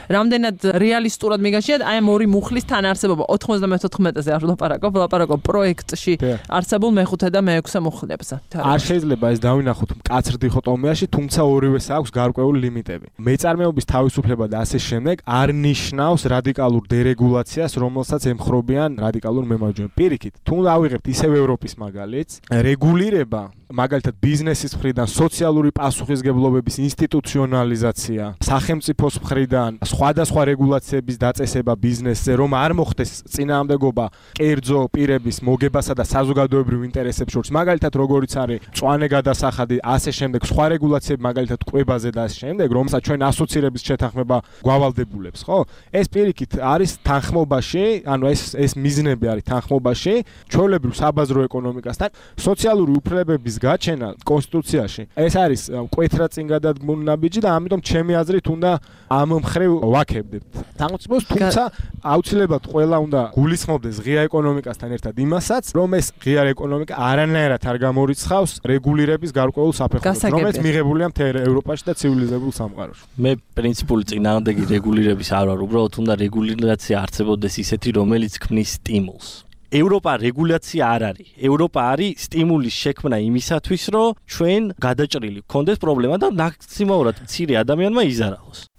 რამდენად რეალისტურად მიგაშიათ აი ამ ორი მუხლის თანაარსებობა ოთხმოცდამეთოთხმეტეზე არ ვლაპარაკობ, ვლაპარაკობ პროექტში არსებულ მეხუთე და მეექვსე მუხლებზე. არ შეიძლება ეს დავინახოთ მკაცრ დიქოტომიაში, თუმცა ორივეს აქვს გარკვეული ლიმიტები. მეწარმეობის თავისუფლება და ასე შემდეგ არ ნიშნავს რადიკალურ დერეგულაციას, რომელსაც ემხრობიან რადიკალურ მემარჯვენე. პირიქით, თუ დავიღებთ ისევ ევროპის მაგალითს, რეგულირება, მაგალითად ბიზნესის მხრიდან, სოციალური პასუხისმგებლობების ინსტიტუციონალიზაცია, სახელმწიფოს მხრიდან სხვადასხვა რეგულაციების დაწესება ბიზნესზე, რომ არ მოხდეს წინააღმდეგობა კერძო პირების მოგებასა და საზოგადოებრივ ინტერესებს შორის, მაგალითად როგორიც არის მწვანე გადასახადი, ასე შემდეგ, სხვა რეგულაციები, მაგალითად კვებაზე და ასე შემდეგ, რომელსაც ჩვენ ასოცირების შეთანხმება გვავალდებულებს, ხო? ეს პირიქით არის თანხმობაში, ანუ ეს ეს მიზნები არის თანხმობაში, ჩვეულებრივ საბაზრო ეკონომიკასთან, სოციალური უფლებების გაჩენა კონსტიტუციაში. ეს არის მკვეთრად წინ გადადგმული ნაბიჯი და ამიტომ ჩემი აზრით უნდა ამ მხრივ ვაკებდებთ. თანხმობს, თუმცა აუცილებლად ყველა უნდა გულისხმობდეს ღია ეკონომიკასთან ერთად იმასაც, რომ ეს ღია ეკონომიკა არანაირად არ გამორიცხავს რეგულირების გარკვეულ საფეხურებს, რომელიც მიღებულია მთელ ევროპაში და ცივილიზებულ სამყაროში. მე პრინციპული წინააღმდეგი რეგულირების არ ვარ, უბრალოდ უნდა რეგულირაცია არსებობდეს ისეთი, რომელიც ქმნის სტიმულს. ევროპა რეგულაცია არ არის. ევროპა არის სტიმულის შექმნა იმისათვის, რომ ჩვენ გადაჭრილი გქონდეს პრობლემა და მაქსიმალურად მცირე ადამიანმა იზარალოს.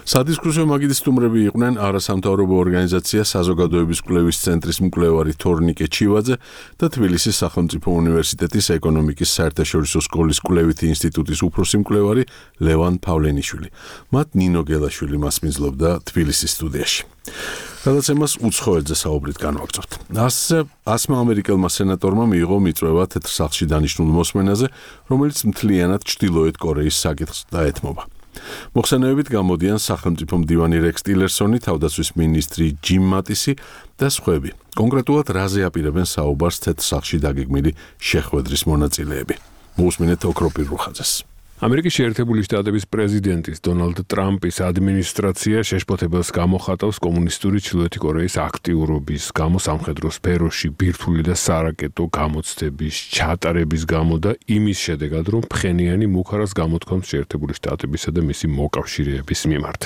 სადისკუსიო მაგიდის სტუმრები იყვნენ არასამთავრობო ორგანიზაცია საზოგადოების კვლევის ცენტრის მკვლევარი თორნიკე ჩივაძე და თბილისის სახელმწიფო უნივერსიტეტის ეკონომიკის საერთაშორისო სკოლის კვლევითი ინსტიტუტის უფროსი მკვლევარი ლევან პავლენიშვილი. მათ ნინო გელაშვილი მასპინძლობდა თბილისის სტუდიაში. გადაცემას უცხოეთზე საუბრით განვაგრძობთ. ასე ასმა ამერიკელმა სენატორმა მიიღო მიწვევა თეთრ სახლში დანიშნულ მოსმენაზე, რომელიც მთლიანად ჩრდილოეთ კორეის საკითხს დაეთმობა. მოხსენებებით გამოდიან სახელმწიფო მდივანი რექს ტილერსონი, თავდაცვის მინისტრი ჯიმ მატისი და სხვები. კონკრეტულად რაზე აპირებენ საუბარს თეთრ სახლში დაგეგმილი შეხვედრის მონაწილეები. მოусმინეთ ოქროპირ რუხაძეს. ამერიკის შეერთებული შტატების პრეზიდენტის დონალდ ტრამპის ადმინისტრაცია შეშფოთებელს გამოხატავს კომუნისტური ჩრდილოეთი კორეის აქტიურობის გამო სამხედრო სფეროში ბირთვული და სარაკეტო გამოცდების ჩატარების გამო და იმის შედეგად, რომ ფხენიანი მუხარას გამოთქვამს შეერთებული შტატებისა და მისი მოკავშირეების მიმართ.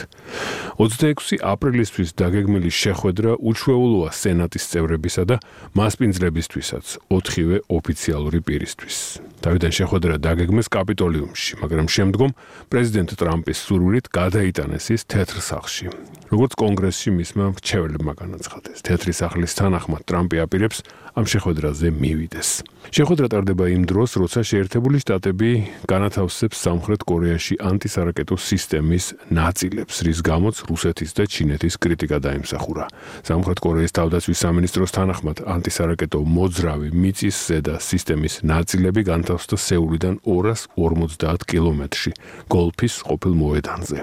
ოცდაექვსი აპრილისთვის დაგეგმილი შეხვედრა უჩვეულოა სენატის წევრებისა და მასპინძლებისთვისაც, ოთხივე ოფიციალური პირისთვის. თავიდან შეხვედრა დაგეგმეს კაპიტოლიუმში, მაგრამ შემდგომ პრეზიდენტ ტრამპის სურვილით გადაიტანეს ის თეთრ სახლში. როგორც კონგრესში მისმა მრჩეველებმა განაცხადეს, თეთრი სახლის თანახმად ტრამპი აპირებს ამ შეხვედრაზე მივიდეს. შეხვედრა ტარდება იმ დროს, როცა შეერთებული შტატები განათავსებს სამხრეთ კორეაში ანტისარაკეტო სისტემის ნაწილებს, რის გამოც რუსეთის და ჩინეთის კრიტიკა დაიმსახურა. სამხრეთ კორეის თავდაცვის სამინისტროს თანახმად ანტისარაკეტო მოძრავი მიწის ზედა სისტემის ნაწილები განთავსდა სეულიდან ორას ორმოცდაათ კილომეტრში გოლფის ყოფილ მოედანზე.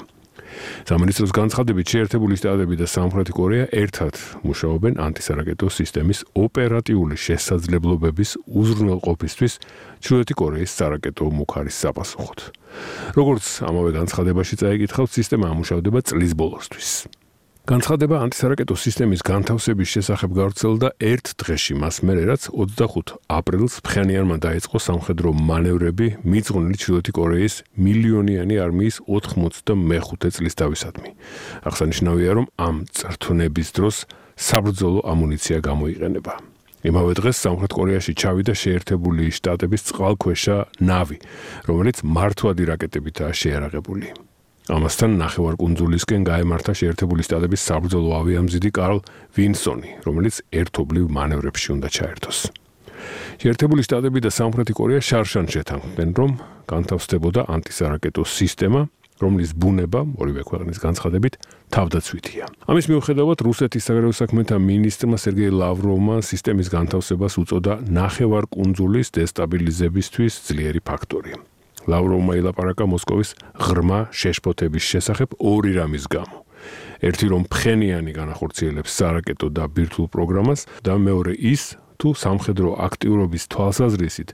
სამინისტროს განცხადებით შეერთებული შტატები და სამხრეთი კორეა ერთად მუშაობენ ანტისარაკეტო სისტემის ოპერატიული შესაძლებლობების უზრუნველყოფისთვის ჩრდილოეთი კორეის სარაკეტო მუხარის საპასუხოდ. როგორც ამავე განცხადებაში წაიკითხავთ, სისტემა ამუშავდება წლის ბოლოსთვის. განცხადება ანტისარაკეტო სისტემის განთავსების შესახებ გავრცელდა ერთ დღეში მას მერე, რაც ოცდახუთ აპრილს ფხენიანმა დაიწყო სამხედრო მანევრები მიძღვნილი ჩრდილოეთი კორეის მილიონიანი არმიის ოთხმოცდამეხუთე წლის თავისადმი. აღსანიშნავია, რომ ამ წრთვნების დროს საბრძოლო ამუნიცია გამოიყენება. იმავე დღეს სამხრეთ კორეაში ჩავიდა შეერთებული შტატების წყალქვეშა ნავი, რომელიც მართვადი რაკეტებითაა შეიარაღებული. ამასთან ნახევარკუნძულისკენ გაემართა შეერთებული შტატების საბრძოლო ავიამზიდი კარლ ვინსონი, რომელიც ერთობლივ მანევრებში უნდა ჩაერთოს. შეერთებული შტატები და სამხრეთი კორეა შარშან შეთანხმდნენ, რომ განთავსდებოდა ანტისარაკეტო სისტემა, რომლის ბუნება, ორივე ქვეყნის განცხადებით, თავდაცვითია. ამის მიუხედავად, რუსეთის საგარეო საქმეთა მინისტრმა სერგეი ლავროვმა სისტემის განთავსებას უწოდა ნახევარკუნძულის დესტაბილიზებისთვის ძლიერი ფაქტორი. ლავროვმა ილაპარაკა მოსკოვის ღრმა შეშფოთების შესახებ ორი რამის გამო. ერთი, რომ ფხენიანი განახორციელებს სარაკეტო და ბირთვულ პროგრამას და მეორე ის, თუ სამხედრო აქტიურობის თვალსაზრისით,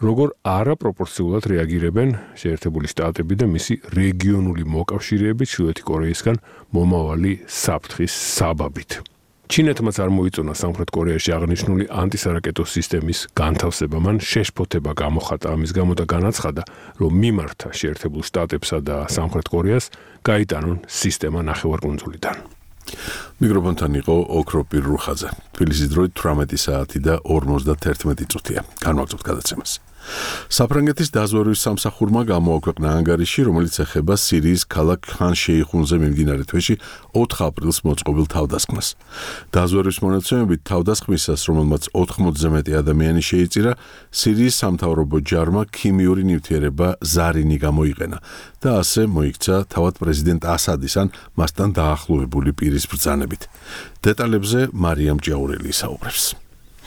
როგორ არაპროპორციულად რეაგირებენ შეერთებული შტატები და მისი რეგიონული მოკავშირეები ჩრდილოეთი კორეისგან მომავალი საფრთხის საბაბით. ჩინეთმაც არ მოიწონა სამხრეთ კორეაში აღნიშნული ანტისარაკეტო სისტემის განთავსება, მან შეშფოთება გამოხატა ამის გამო და განაცხადა, რომ მიმართა შეერთებულ შტატებსა და სამხრეთ კორეას გაიტანონ სისტემა ნახევარკუნძულიდან. მიკროფონთან იყო ოქროპირ რუხაძე. თბილისის დროით თვრამეტი საათი და ორმოცდაერთმეტი წუთია. განვაგრძობთ გადაცემას. საფრანგეთის დაზვერვის სამსახურმა გამოაქვეყნა ანგარიში, რომელიც ეხება სირიის ქალაქ ხან-შეიხუნზე მიმდინარე თვეში ოთხ აპრილს მოწყობილ თავდასხმას. დაზვერვის მონაცემებით თავდასხმისას, რომელმაც ოთხმოცზე მეტი ადამიანი შეიწირა, სირიის სამთავრობო ჯარმა ქიმიური ნივთიერება ზარინი გამოიყენა და ასე მოიქცა თავად პრეზიდენტ ასადის ან მასთან დაახლოებული პირის ბრძანებით. დეტალებზე მარიამ ჭიაურელი ისაუბრებს.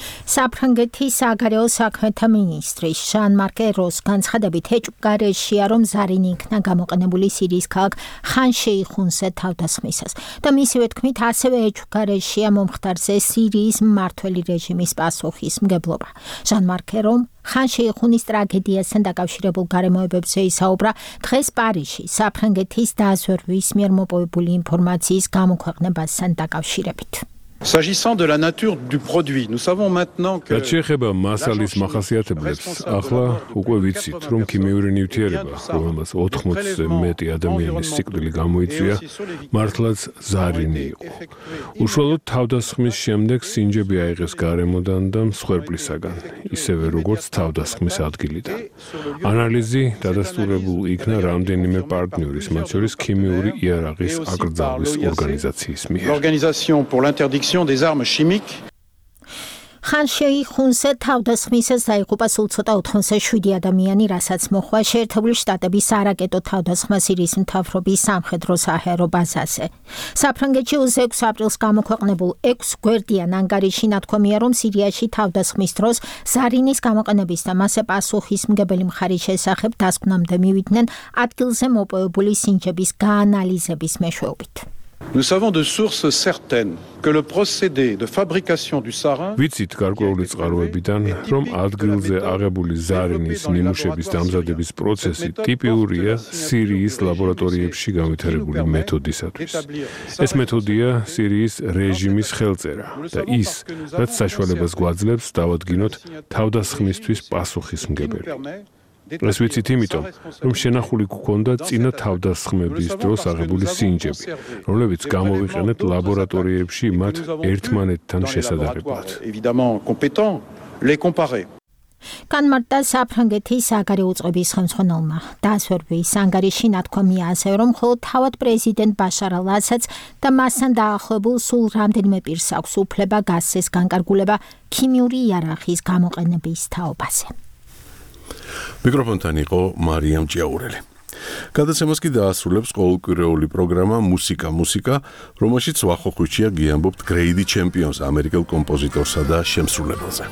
საფრანგეთის საგარეო საქმეთა მინისტრი ჟან-მარკ ეროს განცხადებით ეჭვგარეშეა, რომ ზარინი იქნა გამოყენებული სირიის ქალაქ ხან-შეიხუნზე თავდასხმისას და მისივე თქმით ასევე ეჭვგარეშეა მომხდარზე სირიის მმართველი რეჟიმის პასუხისმგებლობა. ჟან-მარკ ერომ ხან-შეიხუნის ტრაგედიასთან დაკავშირებულ გარემოებებზე ისაუბრა დღეს პარიზში საფრანგეთის დაზვერვის მიერ მოპოვებული ინფორმაციის გამოქვეყნებასთან დაკავშირებით. S'agissant de la nature du produit, nous savons maintenant que რაც შეეხება მასალის მახასიათებლებს, ახლა უკვე ვიცით, რომ ქიმიური ნივთიერება, რომელმაც ოთხმოცზე მეტი ადამიანის სიკვდილი გამოიწვია, მართლაც ზარინი იყო. უშუალოდ თავდასხმის შემდეგ სინჯები აიღეს გარემოდან და მსხვერპლისაგან, ისევე როგორც თავდასხმის ადგილიდან. ანალიზი დადასტურებულ იქნა რამდენიმე პარტნიორის, მათ შორის ქიმიური იარაღის აკრძალვის ორგანიზაციის მიერ. l'organisation pour l'interdiction des armes chimiques. ხან შეიხუნსა თავდასხმისას დაიღუპა სულ ცოტა ოთხმოცდაშვიდი ადამიანი, რასაც მოხდა შეერთებული შტატების არაკეტო თავდასხმა სირიის მთავრობის სამხედრო საჰაერო ბაზაზე. საფრანგეთში ოცდაექვსი აპრილს გამოქვეყნებულ ექვს გვერდიან ანგარიში ნათქვამია, რომ სირიაში თავდასხმის დროს ზარინის გამოყენების და მასზე პასუხისმგებელი მხარის შესახებ დასკვნამდე მივიდნენ ადგილზე მოპოვებული სინჯების გაანალიზების მეშვეობით. Nous savons de sources certaines que le procédé de fabrication du sarin ვიცით გარკვეული წყაროებიდან, რომ ადგილზე აღებული ზარინის ნიმუშების დამზადების პროცესი ტიპიურია სირიის ლაბორატორიებში განვითარებული მეთოდისათვის. ეს მეთოდია სირიის რეჟიმის ხელწერა და ის, რაც საშუალებას გვაძლევს დავადგინოთ თავდასხმისთვის პასუხისმგებელი. ეს ვიცით იმიტომ, რომ შენახული გქონდა წინა თავდასხმების დროს აღებული სინჯები, რომლებიც გამოვიყენეთ ლაბორატორიებში მათ ერთმანეთთან შესადარებლად. განმარტა საფრანგეთის საგარეო უწყების ხელმძღვანელმა. დასვერვის ანგარიში ნათქვამია ასევე, რომ მხოლოდ თავად პრეზიდენტ ბაშარ ალ-ასადს და მასთან დაახლოებულ სულ რამდენიმე პირს აქვს უფლება გასცეს განკარგულება ქიმიური იარაღის გამოყენების თაობაზე. მიკროფონთან იყო მარიამ ჭიაურელი. გადაცემას კი დაასრულებს ყოველკვირეული პროგრამა მუსიკა მუსიკა, რომელშიც ვახოხუჩია გიამბობთ გრეიდი ჩემპიონს, ამერიკელ კომპოზიტორსა და შემსრულებელზე.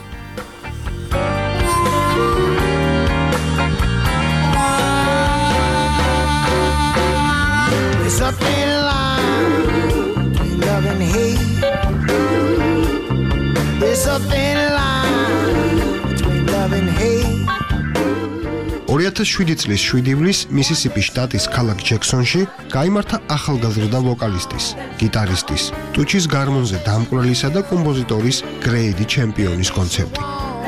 ორი ათას შვიდი წლის შვიდი ივლისს მისისიპის შტატის ქალაქ ჯექსონში გაიმართა ახალგაზრდა ვოკალისტის, გიტარისტის, ტუჩის გარმონზე დამკვრელისა და კომპოზიტორის გრეიდი ჩემპიონის კონცერტი.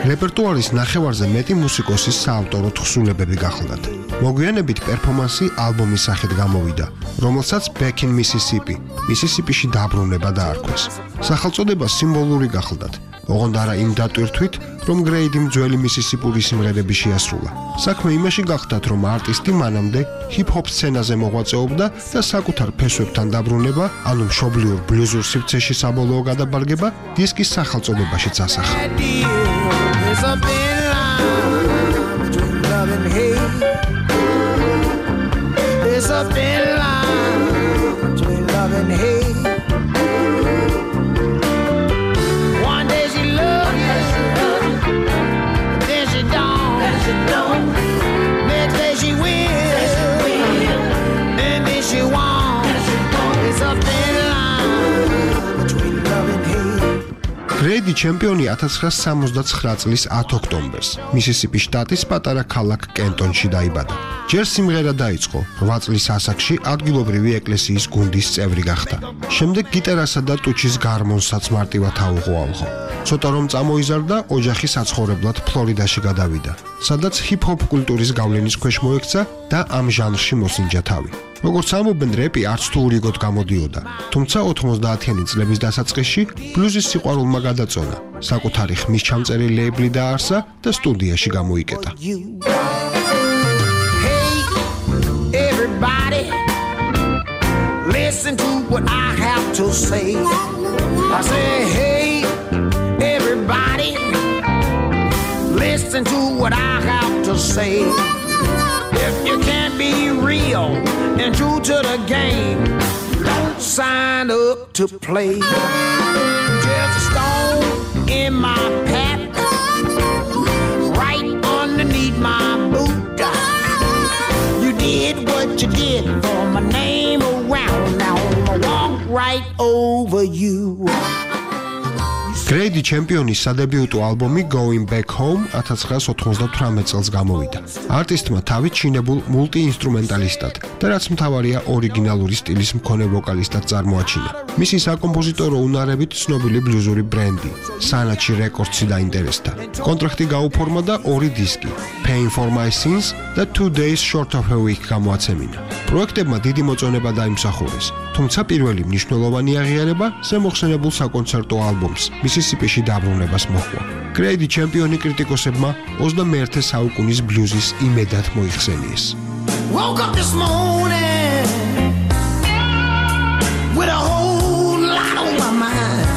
რეპერტუარის ნახევარზე მეტი მუსიკოსის საავტორო თხზულებები გახლდათ. მოგვიანებით პერფორმანსი ალბომის სახით გამოვიდა, რომელსაც Back in Mississippi, მისისიპიში დაბრუნება დაარქვეს. სახელწოდება სიმბოლური გახლდათ. ოღონდ არა იმ დატვირთვით, რომ გრეიდიმ ძველი მისისიპური სიმღერები შეასრულა. საქმე იმაში გახლდათ, რომ არტისტი მანამდე ჰიპ-ჰოპ სცენაზე მოღვაწეობდა და საკუთარ ფესვებთან დაბრუნება, ანუ მშობლიურ ბლუზურ სივრცეში საბოლოო გადაბარგება დისკის სახელწოდებაშიც ასახა. გრეიდი ჩემპიონი ათას ცხრაასი სამოცდაცხრა წლის ათი ოქტომბერს მისისიპის შტატის პატარა ქალაქ კენტონში დაიბადა. ჯერ სიმღერა დაიწყო, რვა წლის ასაკში ადგილობრივი ეკლესიის გუნდის წევრი გახდა. შემდეგ გიტარასა და ტუჩის გარმონსაც მარტივად აუღო. ცოტა რომ წამოიზარდა, ოჯახი საცხოვრებლად ფლორიდაში გადავიდა, სადაც ჰიპ-ჰოპ კულტურის გავლენის ქვეშ მოექცა და ამ ჟანრში მოსინჯა თავი. როგორც ამობენ, რეპი არც თუ ურიგოდ გამოდიოდა, თუმცა ოთხმოცდაათიანი წლების დასაწყისში ბლუზის სიყვარულმა გადაწონა, საკუთარი ხმის ჩამწერი ლეიბლი დაარსა და სტუდიაში გამოიკეტა. Listen to what I have to say. I say, hey, everybody, listen to what I have to say. If you can't be real and true to the game, don't sign up to play. Just a stone in my path, right underneath my boot. You did what you did for my name around. Now I'ma walk right over you. გრეიდი ჩემპიონის სადებიუტო ალბომი Going Back Home ათას ცხრაასი ოთხმოცდათვრამეტ წელს გამოვიდა. არტისტმა თავი ჩინებულ მულტიინსტრუმენტალისტად და რაც მთავარია ორიგინალური სტილის მქონე ვოკალისტად წარმოაჩინა. მისი საკომპოზიტორო უნარებით ცნობილი ბლუზური ბრენდი სანაჩი რეკორდსი დაინტერესდა. კონტრაქტი გაუფორმა და ორი დისკი Pain for My Sins და Two Days Short of a Week გამოაცემინა. პროექტებმა დიდი მოწონება დაიმსახურეს, თუმცა პირველი მნიშვნელოვანი აღიარება ზემოხსენებულ საკონცერტო ალბომს მისისიპიში დაბრუნებას მოჰყვა. გრეიდი ჩემპიონი კრიტიკოსებმა ოცდამეერთე საუკუნის ბლუზის იმედად მოიხსენიეს. Woke up this morning with a whole lot on my mind.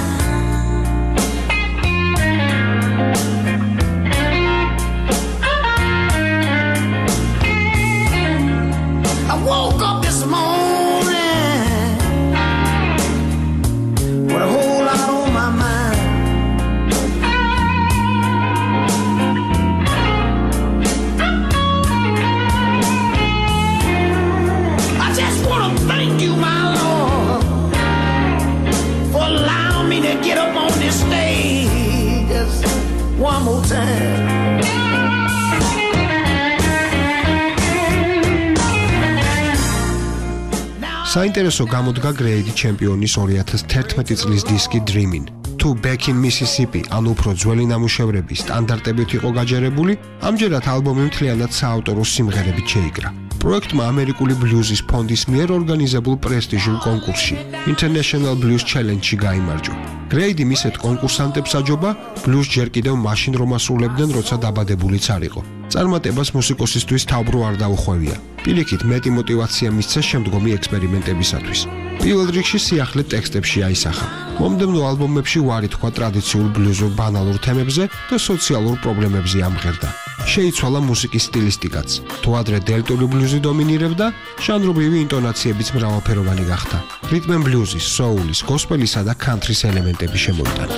საინტერესო გამოდგა გრეიდი ჩემპიონის ორი ათას თერთმეტი წლის დისკი Dreamin'. თუ Back in Mississippi, ანუ უფრო ძველი ნამუშევრების სტანდარტებით იყო გაჯერებული, ამჯერად ალბომი მთლიანად საავტორო სიმღერებით შეიკრა. პროექტმა ამერიკული ბლუზის ფონდის მიერ ორგანიზებულ პრესტიჟულ კონკურსში International Blues Challenge-ში გაიმარჯვა. გრეიდი მისეთ კონკურსანტებს აჯობა, ბლუზ ჯერ კიდევ მაშინ რომ ასრულებდნენ, როცა დაბადებულიც არ იყო. წარმატებას მუსიკოსისთვის თავბრუ არ დაუხვევია. პირიქით მეტი мотиваცია მისცა შემდგომი ექსპერიმენტებისათვის. პირველ რიგში სიახლე ტექსტებში აისახა. მომდევნო ალბომებში უარი თქვა ტრადიციულ ბლუზურ ბანალურ თემებზე და სოციალურ პრობლემებზე ამღერდა. შეიცვალა მუსიკის სტილისტიკაც. თუ ადრე დელტური ბლუზი დომინირებდა, ჟანრობრივი ინტონაციებიც მრავალფეროვანი გახდა. რიტმ ენ ბლუზის, სოულის, გოსპელისა და კანთრის ელემენტები შემოიტანა.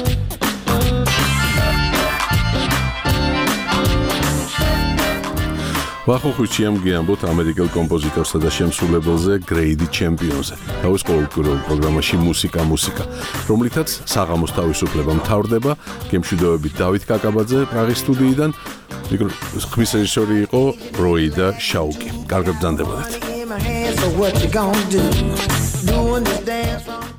ვახუხუჩი ამგიამბოთ ამერიკელ კომპოზიტორსა და შემსრულებელზე გრეიდი ჩემპიონზე. თავის ყოველკვირეულ პროგრამაში მუსიკა მუსიკა, რომლითაც საღამოს თავისუფლება მთავრდება, გემშვიდობებით დავით კაკაბაძე პრაღის სტუდიიდან. ხმის რეჟისორი იყო როი და შაუკი. კარგად ბრძანდებოდეთ.